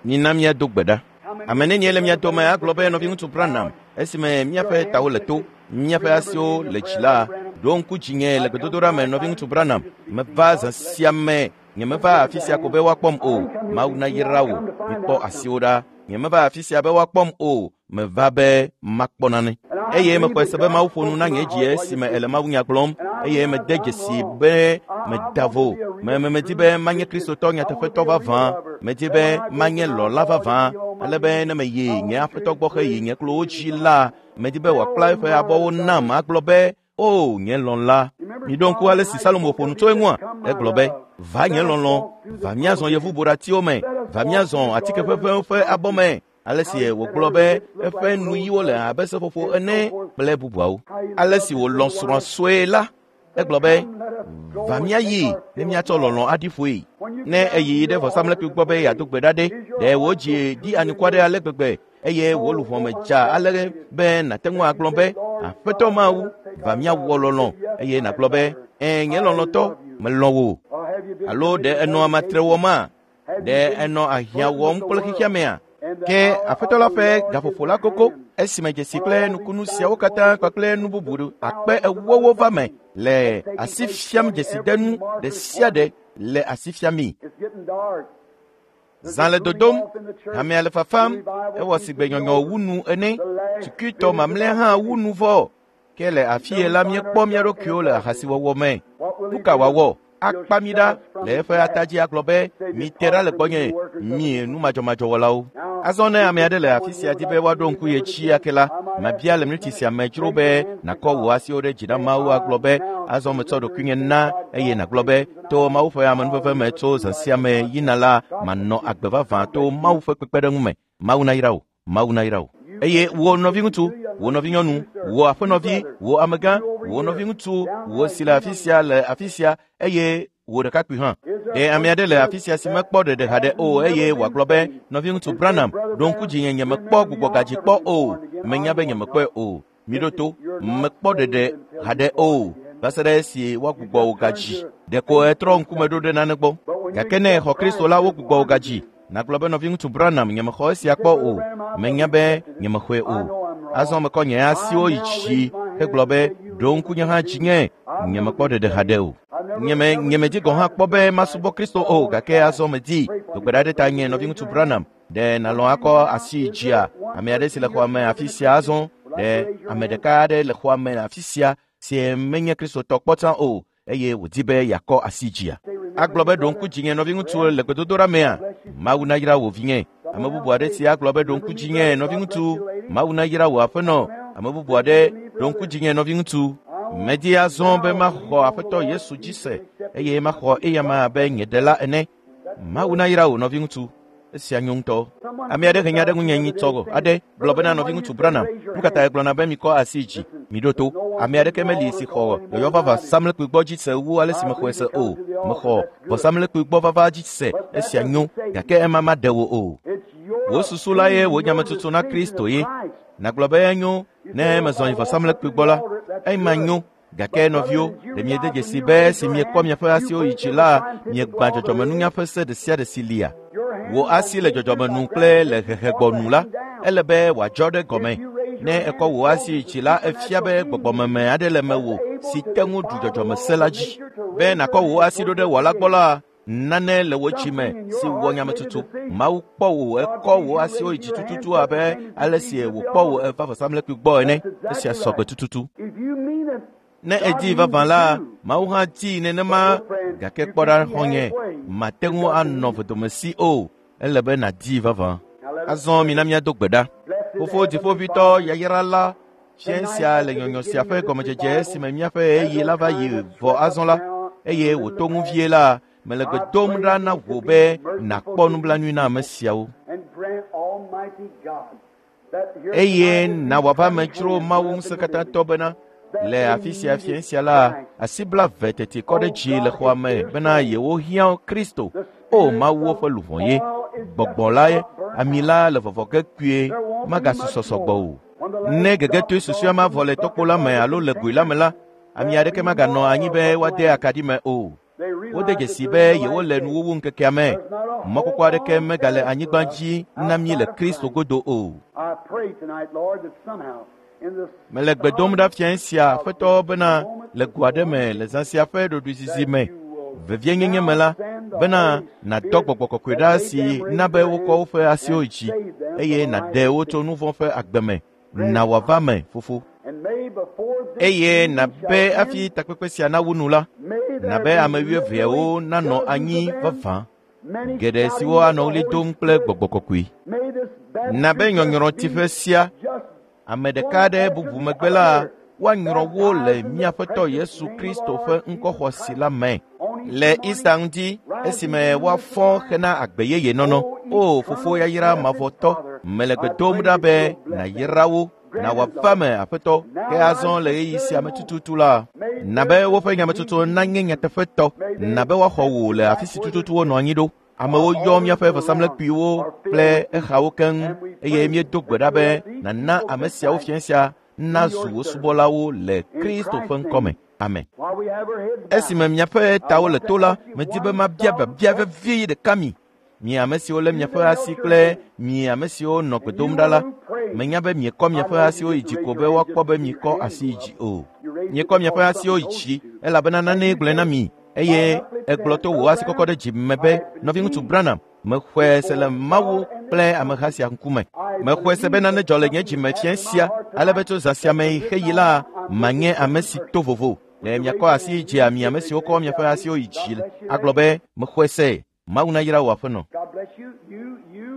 Mina míado gbe ɖa. Ame nenie le mia dome agblɔ be nɔviŋutsu Branham esime míaƒe tawo le to, míaƒe asiwo le dzi la, ɖo ŋku dzinye le gbedodoɖa me nɔviŋutsu Branham. Meva zã sia me, nyemeva afi sia ko be woakpɔm o. Mawu nayra wò. Mikpɔ asiwo ɖa. Nyemeva afi sia be woakpɔm o. Meva be makpɔ nane. Eye mexɔe se be Mawu ƒo nu na nye dzi esime ele mawunya gblɔm eye mede dzesi be meda vo. Me medi be manye Kristotɔ nyateƒetɔ vavã. Medi be manye lɔla vavã. Ale be ne meyi nye aƒetɔ gbɔ heyi nye klowo dzi la, medi be wòakpla eƒe abɔwo nam agblɔ be o nye lɔla. Miɖo ŋku ale si Salomo ƒo nu tso eŋua. Egblɔ be va nye lɔlɔ, va míazɔ yevuboɖatiwo me, va míazɔ atike ʋeʋẽwo ƒe abɔ me. Ale si wògblɔ be eƒe nuyiwo le abe seƒoƒo ene kple bubuawo. Ale si wòlɔ̃ srɔ̃a sue la, egblɔ be va míayi ne míatsɔ lɔlɔ̃ aɖi ƒoe. Ne eyi ɖe vɔsamlekpui gbɔ be yeado gbe ɖa ɖe, ɖe wò dzi ɖi anukua ɖe ale gbegbe eye wò luʋɔ me dza ale be nàte ŋu agblɔ be Aƒetɔ Mawu, va míawɔ lɔlɔ̃ eye nàgblɔ be ẽ nye lɔlɔ̃tɔ, melɔ̃ wò. Alo ɖe enɔ amatre wɔma? Ɖe enɔ ahiã wɔm kple xexea mea? Ke aƒetɔ la ƒe gaƒoƒo la gogo esime dzesi kple nukunu siawo katã kpakple nu bubu akpe ewowo va me le asi fiam dzesidenu ɖe sia ɖe le asi fiam mi. Zã le dodom, hamea le fafam, ewɔ sigbe nyɔnyɔ wu nu ene, tukutɔ mamlɛa hã wu nu vɔ. Ke le afie la míekpɔ mía ɖokuiwo le ahasiwɔwɔ me. Nu ka wòawɔ? Akpa mi ɖa le eƒe ata dzi agblɔ be mite ɖa le gbɔnye, mi nu madzɔmadzɔwɔlawo. Azɔ ne ame aɖe le afi sia di be woaɖo ŋku ye dzi ake la, mabia le miniti sia me dzro be nàkɔ wò asiwo ɖe dzi na Mawu agblɔ be azɔ metsɔ ɖokuinye na eye nàgblɔ be to Mawu ƒe amenuveve me tso zã sia me yina la, manɔ agbe vavã to Mawu ƒe kpekpeɖeŋu me. Mawu nayra wò. Mawu nayra wò. Eye wò nɔviŋutsu, wò nɔvinyɔnu, wò aƒenɔvi, wò amegã, wò nɔviŋutsu, wò si le afi sia le afi sia eye wò ɖekakpui hã. Ɖe ame aɖe le afi sia si mekpɔ ɖeɖe haɖe o eye wòagblɔ be nɔviŋutsu Branham ɖo ŋku dzinye nyemekpɔ gbugbɔgadzi kpɔ o. Menya be nyemekpɔe o. Miɖo to, mekpɔ ɖeɖe haɖe o va se ɖe esi woagbugbɔ wò gadzi. Ɖeko etrɔ ŋkume ɖo ɖe nane gbɔ. Gake ne exɔ Kristo la, wogbugbɔ wò gadzi. Nàgblɔ be nɔviŋutsu Branham nyemexɔ esia kpɔ o. Menya be nyemexɔe o. Azɔ mekɔ nye asiwo yi dzi hegblɔ be ɖo ŋku nye hã dzinye nyemekpɔ ɖeɖe haɖe o. Nye me nye medzi gɔ̃ hã kpɔ be masubɔ Kristo o gake azɔ medi. Do gbe ɖa ɖe ta nye nɔviŋutsu Branham. Ɖe nàlɔ̃ akɔ asi dzia ame aɖe si le xɔa me afi sia azɔ? Ɖe ame ɖeka aɖe le xɔa me afi sia si menye Kristotɔ kpɔ tsã o eye wòdi be yeakɔ asi dzia? Agblɔ be ɖo ŋku dzinye nɔviŋutsu le gbedodoɖa mea? Mawu nayra wò vinye. Ame bubu aɖe si agblɔ be ɖo ŋku dzinye nɔviŋutsu. Mawu nayra wò aƒenɔ. Ame bubu aɖe ɖo ŋku dzinye nɔviŋutsu. Medi azɔ be maxɔ Aƒetɔ Yesu dzi se eye maxɔ eyama abe nye ɖela ene. Mawu nayra wò nɔviŋutsu. Esia nyo ŋutɔ. Ame aɖe he nya ɖe ŋunye nyitsɔ aɖe gblɔ bena nɔviŋutsu Branham, nu ka ta egblɔna be mikɔ asi dzi, miɖo to. Ame aɖeke meli si xɔ yɔyɔ vava vɔsamlekpui gbɔ dzi se wu ale si mexɔe se o. Mexɔ vɔsamlekpui gbɔ vava dzi se, esia nyo, gake ema maɖe wò o. Wò susu la ye wò nyametsotso na Kristo ye. Nàgblɔ be enyo ne mezɔ yi vɔsamlekpui gbɔ la, ema nyo. Gake nɔviwo, ɖe miede dzesi be esi miekɔ miaƒe asiwo yi dzi la, miegbã dzɔdzɔmenunya ƒe se ɖe sia ɖe si lia. Wò asi le dzɔdzɔmenu kple le hehegbɔnu la, ele be wòadzɔ ɖe gɔme. Ne ekɔ wò asi yi dzi la, efia be gbɔgbɔmeme aɖe le mewò si te ŋu ɖu dzɔdzɔmese la dzi. Be nàkɔ wò asi ɖo ɖe wɔla gbɔ la, nane le wò dzime si wɔ nyametsotso. Mawu kpɔ wò ekɔ wò asiwo yi dzi tututu abe ale si wòkpɔ wò eva vɔsamlekpui gbɔ ene. Esia sɔgbe tututu. Ne edi vavã la, Mawu hã dii nenema gake kpɔ ɖa xɔ̃nye, mate ŋu anɔ vedomesi o. Ele be nàdii vavã. Azɔ mina míado gbe ɖa. Fofo dziƒoʋĩtɔ yayra la, fiẽ sia le nyɔnyɔ sia ƒe gɔmedzedze esime míaƒe ɣeyiɣi la va yi vɔ azɔ la, eye wòto ŋu vie la, mele gbe dom ɖa na wò be nàkpɔ nublanui na ame siawo. Eye na wòava me dzro Mawu ŋusẽkatãtɔ bena le afi sia fiẽ sia la, asi blaeve teti kɔ ɖe dzi le xɔa me bena yewohiã Kristo. O Mawu woƒe luʋɔ ye, gbɔgbɔ la ye, ami la le vɔvɔ ge kpuie, magasusɔ sɔgbɔ o. Ne gegetoe susɔea mavɔ le tɔkpo la me alo le goe la me la, ami aɖeke maganɔ anyi be woade akaɖi me o. Wode dzesi be yewole nuwuwu ŋkekea me. Mɔkpɔkpɔ aɖeke megale anyigba dzi na mí le Kristo godo o. Mele gbe dom ɖa fiẽ sia Aƒetɔ bena le go aɖe me le zã sia ƒe ɖoɖoezizi me, vevienyenye me la, bena nàdɔ gbɔgbɔ kɔkɔe ɖa si na be wokɔ woƒe asiwo dzi eye nàɖe wo tso nu vɔ̃ ƒe agbe me. Na wòava me, Fofo. Eye nàbe hafi takpekpe sia nawu nu la, nàbe ame wuieveawo nanɔ anyi vavã, geɖe siwo anɔ ɣli dom kple gbɔgbɔ kɔkɔe. Nàbe nyɔnyrɔtiƒe sia, ame ɖeka aɖe bubu megbe la, woanyrɔ wo le míaƒetɔ Yesu Kristo ƒe ŋkɔxɔsi la me. Le Easter ŋuti, esime woafɔ hena agbe yeye nɔnɔ. O Fofo yayra mavɔtɔ, mele gbe dom ɖa be nàyra wo, na wòava me Aƒetɔ, ke azɔ le ɣeyiɣi sia me tututu la, na be woƒe nyametsotso nanye nyateƒetɔ, na be woaxɔ wò le afi si tututu wonɔ anyi ɖo. Amewo yɔ míaƒe vɔsamlekpuiwo kple exawo keŋ eye míedo gbe ɖa be nàna ame siawo fiẽ sia nazu wò subɔlawo le Kristo ƒe ŋkɔme. Amen. Esime miaƒe tawo le to la, medi be mabia biabia vevie ɖeka mi. Mi ame siwo lé miaƒe asi kple mi ame siwo nɔ gbe dom ɖa la, menya be miekɔ miaƒe asiwo yi dzi ko be woakpɔ be miekɔ asi yi dzi o. Miekɔ miaƒe asiwo yi dzi elabena nanee gblɔe na mi eye egblɔ to wò asikɔkɔ ɖe dzi me be nɔviŋutsu Branham, mexɔe se le Mawu kple ameha sia ŋkume. Mexɔe se be nane dzɔ le nye dzime fiẽ sia ale be tso zã sia me yi xeyi la, manye ame si to vovo. Le miakɔ asi yi dzia mi ame siwo kɔ miaƒe asiwo yi dzi agblɔ be mexɔe se. Mawu nayra wò aƒenɔ.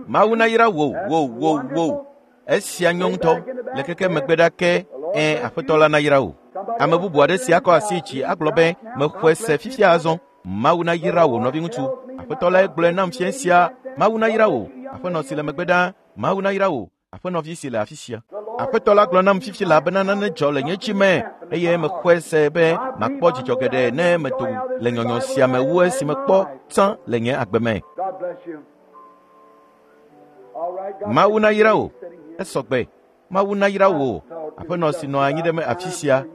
Mawu nayra wò, wò, wò, wò. Esia nyo ŋutɔ. Le keke megbe ɖa ke, ẽ, Aƒetɔ la nayra wò. Ame bubu aɖe si akɔ asi dzi agblɔ be mexɔe se fifia azɔ. Mawu nayra wò nɔviŋutsu. Aƒetɔ lae gblɔe nam fiẽ sia. Mawu nayra wò, aƒenɔ si le megbe ɖa. Mawu nayra wò, aƒenɔvi si le afi sia. Aƒetɔ la gblɔ nam fifi la bena nane dzɔ le nye dzi me eye mexɔe se be makpɔ dzidzɔ geɖe ne medo le nyɔnyɔ sia me wu esi mekpɔ tsã le nye agbe me. Mawu nayra wò. Esɔgbe. Mawu nayra wò, aƒenɔ si nɔ anyi ɖe me afi sia.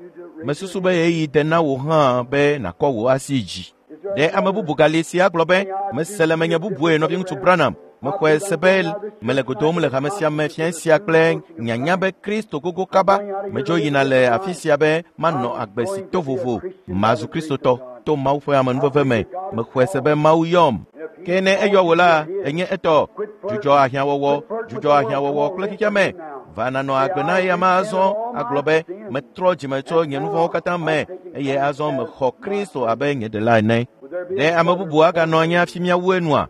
Mesusu be ɣeyiɣi de na wò hã be nàkɔ wò asi dzi. Ɖe ame bubu gali si agblɔ be mese le menye bubue nɔviŋutsu Branham. Mexɔe se be mele godom le hame sia me fiẽ sia kple nyanya be Kristo gogo kaba. Medzo yina le afi sia be manɔ agbe si to vovo, mazu Kristotɔ. to Mawu ƒe amenuveve me. Mexɔe se be Mawu yɔm. Ke ne eyɔ wò la, enye etɔ. Dzudzɔ ahiãwɔwɔ, dzudzɔ ahiãwɔwɔ kple xexeame. Va nanɔ agbe na eya azɔ agblɔ be metrɔ dzime tso nye nu vɔ̃wo katã me eye azɔ mexɔ Kristo abe nye ɖela ene. Ɖe ame bubu aganɔ anyi hafi míawu enua?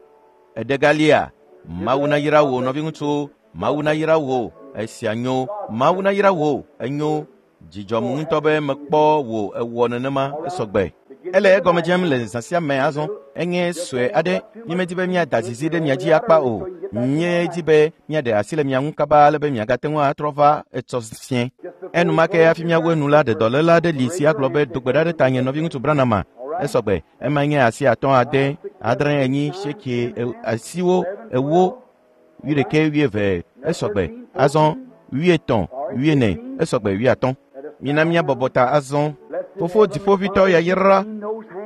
Eɖe galia? Mawu nayra wò nɔviŋutsu, Mawu nayra wò, esia nyo, Mawu nayra wò, enyo. Dzidzɔm ŋutɔ be mekpɔ wò ewɔ nenema esɔgbe. Ele egɔme dzem le zã sia me azɔ. Enye sue aɖe. Mímedi be míada zizi ɖe mia dzi akpa o. Míedi be míaɖe asi le mia ŋu kaba ale be miagate ŋu atrɔ va etsɔ fiẽ. Enumake hafi míawu enu la, ɖe dɔléla aɖe li si agblɔ be do gbe ɖa ɖe tanye nɔviŋutsu Branham. Esɔgbe. Ema nye asi atɔ̃, ade, adre, enyi, sekie, asiwo, ewo, wuiɖekɛ, wuieve. Esɔgbe. Azɔ wuietɔ̃, wuiene. Esɔgbe wuiatɔ̃. Mina míabɔbɔ ta azɔ. Fofo dziƒoʋĩtɔ yayra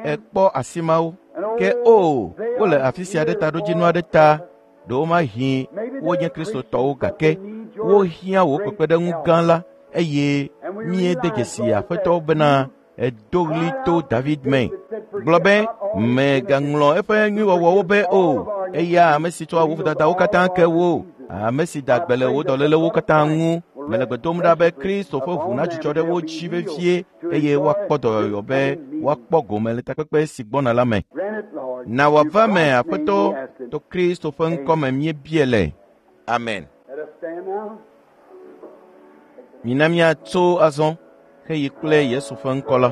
ekpɔ asi mawo. Ke o, wole afi sia ɖe taɖodzinu aɖe ta. Ɖewomahi wonye Kristotɔwo gake wohiã wò kpekpeɖeŋu gã la eye míede dzesi Aƒetɔ bena edo ɣli to David me. Gblɔ be mègaŋlɔ eƒe nyuiwɔwɔwo be o. Eya ame si tsɔa wò vodadawo katã ke wò, ame si da gbe le wò dɔlélewo katã ŋu. Mele gbe dom ɖa be Kristo ƒe ʋu nadzudzɔ ɖe wo dzi vevie eye woakpɔ dɔyɔyɔ be woakpɔ gome le takpekpe si gbɔna la me. Na wòava me Aƒetɔ, to Kristo ƒe ŋkɔme míebia le. Amen. Mina míatso azɔ heyi kple Yesu ƒe ŋkɔ la.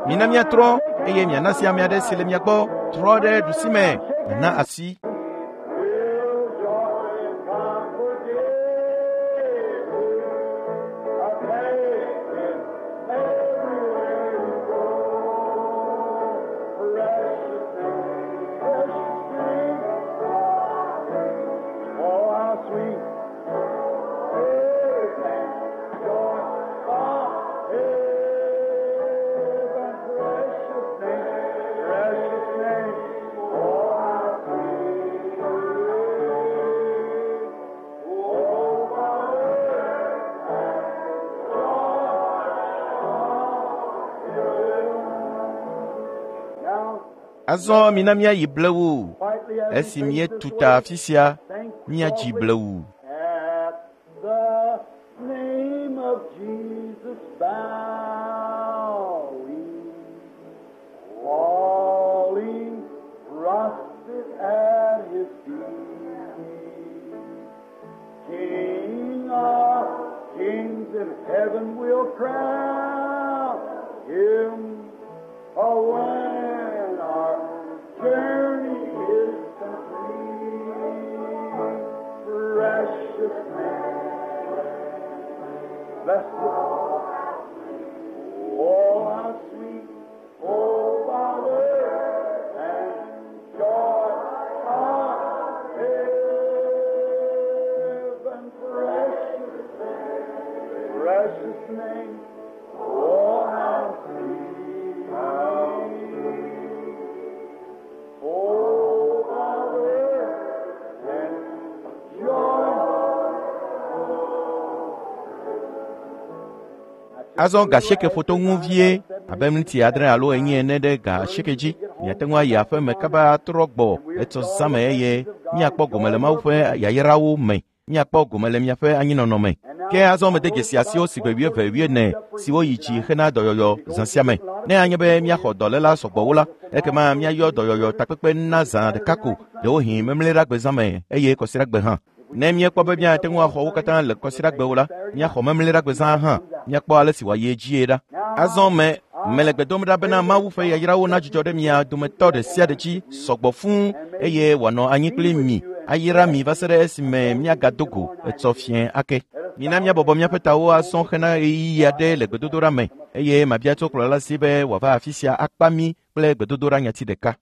Mina míatrɔ eye miana asi ame aɖe si le mia gbɔ trɔ ɖe ɖusime na asi. Azɔ mina míayi blewu. Esi míetu ta afi sia, míadzi blewu. At the name of Jesus bow we, falling prostrate at his feet. King of kings in heaven will crown him. Oh, when our journey is complete, precious name, bless the Oh, how sweet, oh, power and joy of heaven, precious name, precious name, oh, how sweet, how sweet, oh, power and joy. Azɔ ga asieke ƒoto ŋu vie abe miniti adre alo enyi ene ɖe ga asieke dzi. Miate ŋu ayi aƒe me kaba atrɔ gbɔ etsɔ zãme eye míakpɔ gome le Mawu ƒe yayrawo me. Míakpɔ gome le miaƒe anyinɔnɔ me. Ke azɔ mede dzesi asiwo si gbe wuieve wuiene siwo yi dzi hena dɔyɔyɔ zã sia me. Ne anye be míaxɔ dɔléla sɔgbɔwo la, ekema míayɔ dɔyɔyɔ takpekpe na zã ɖeka ko, ɖewohĩ memleɖagbe zã me eye kɔsiɖagbe hã. Ne míekpɔ be míate ŋu axɔ wo katã le kɔsiɖagbewo la, míaxɔ memleɖagbe zã hã. Míakpɔ ale si wòayi edzie ɖa. Azɔ me mele gbe dom ɖa bena Mawu ƒe yayrawo nadzudzɔ ɖe mia dometɔ ɖe sia ɖe dzi sɔgbɔ fũu eye wòanɔ anyi kpli mi ayra mi va se ɖe esime míagado go etsɔ fiẽ ake. Mina míabɔbɔ míaƒe tawo azɔ hena ɣeyiɣi aɖe le gbedodoɖa me eye mabia tso kplɔla si be wòava afi sia akpa mí kple gbedodoɖa nyati ɖeka.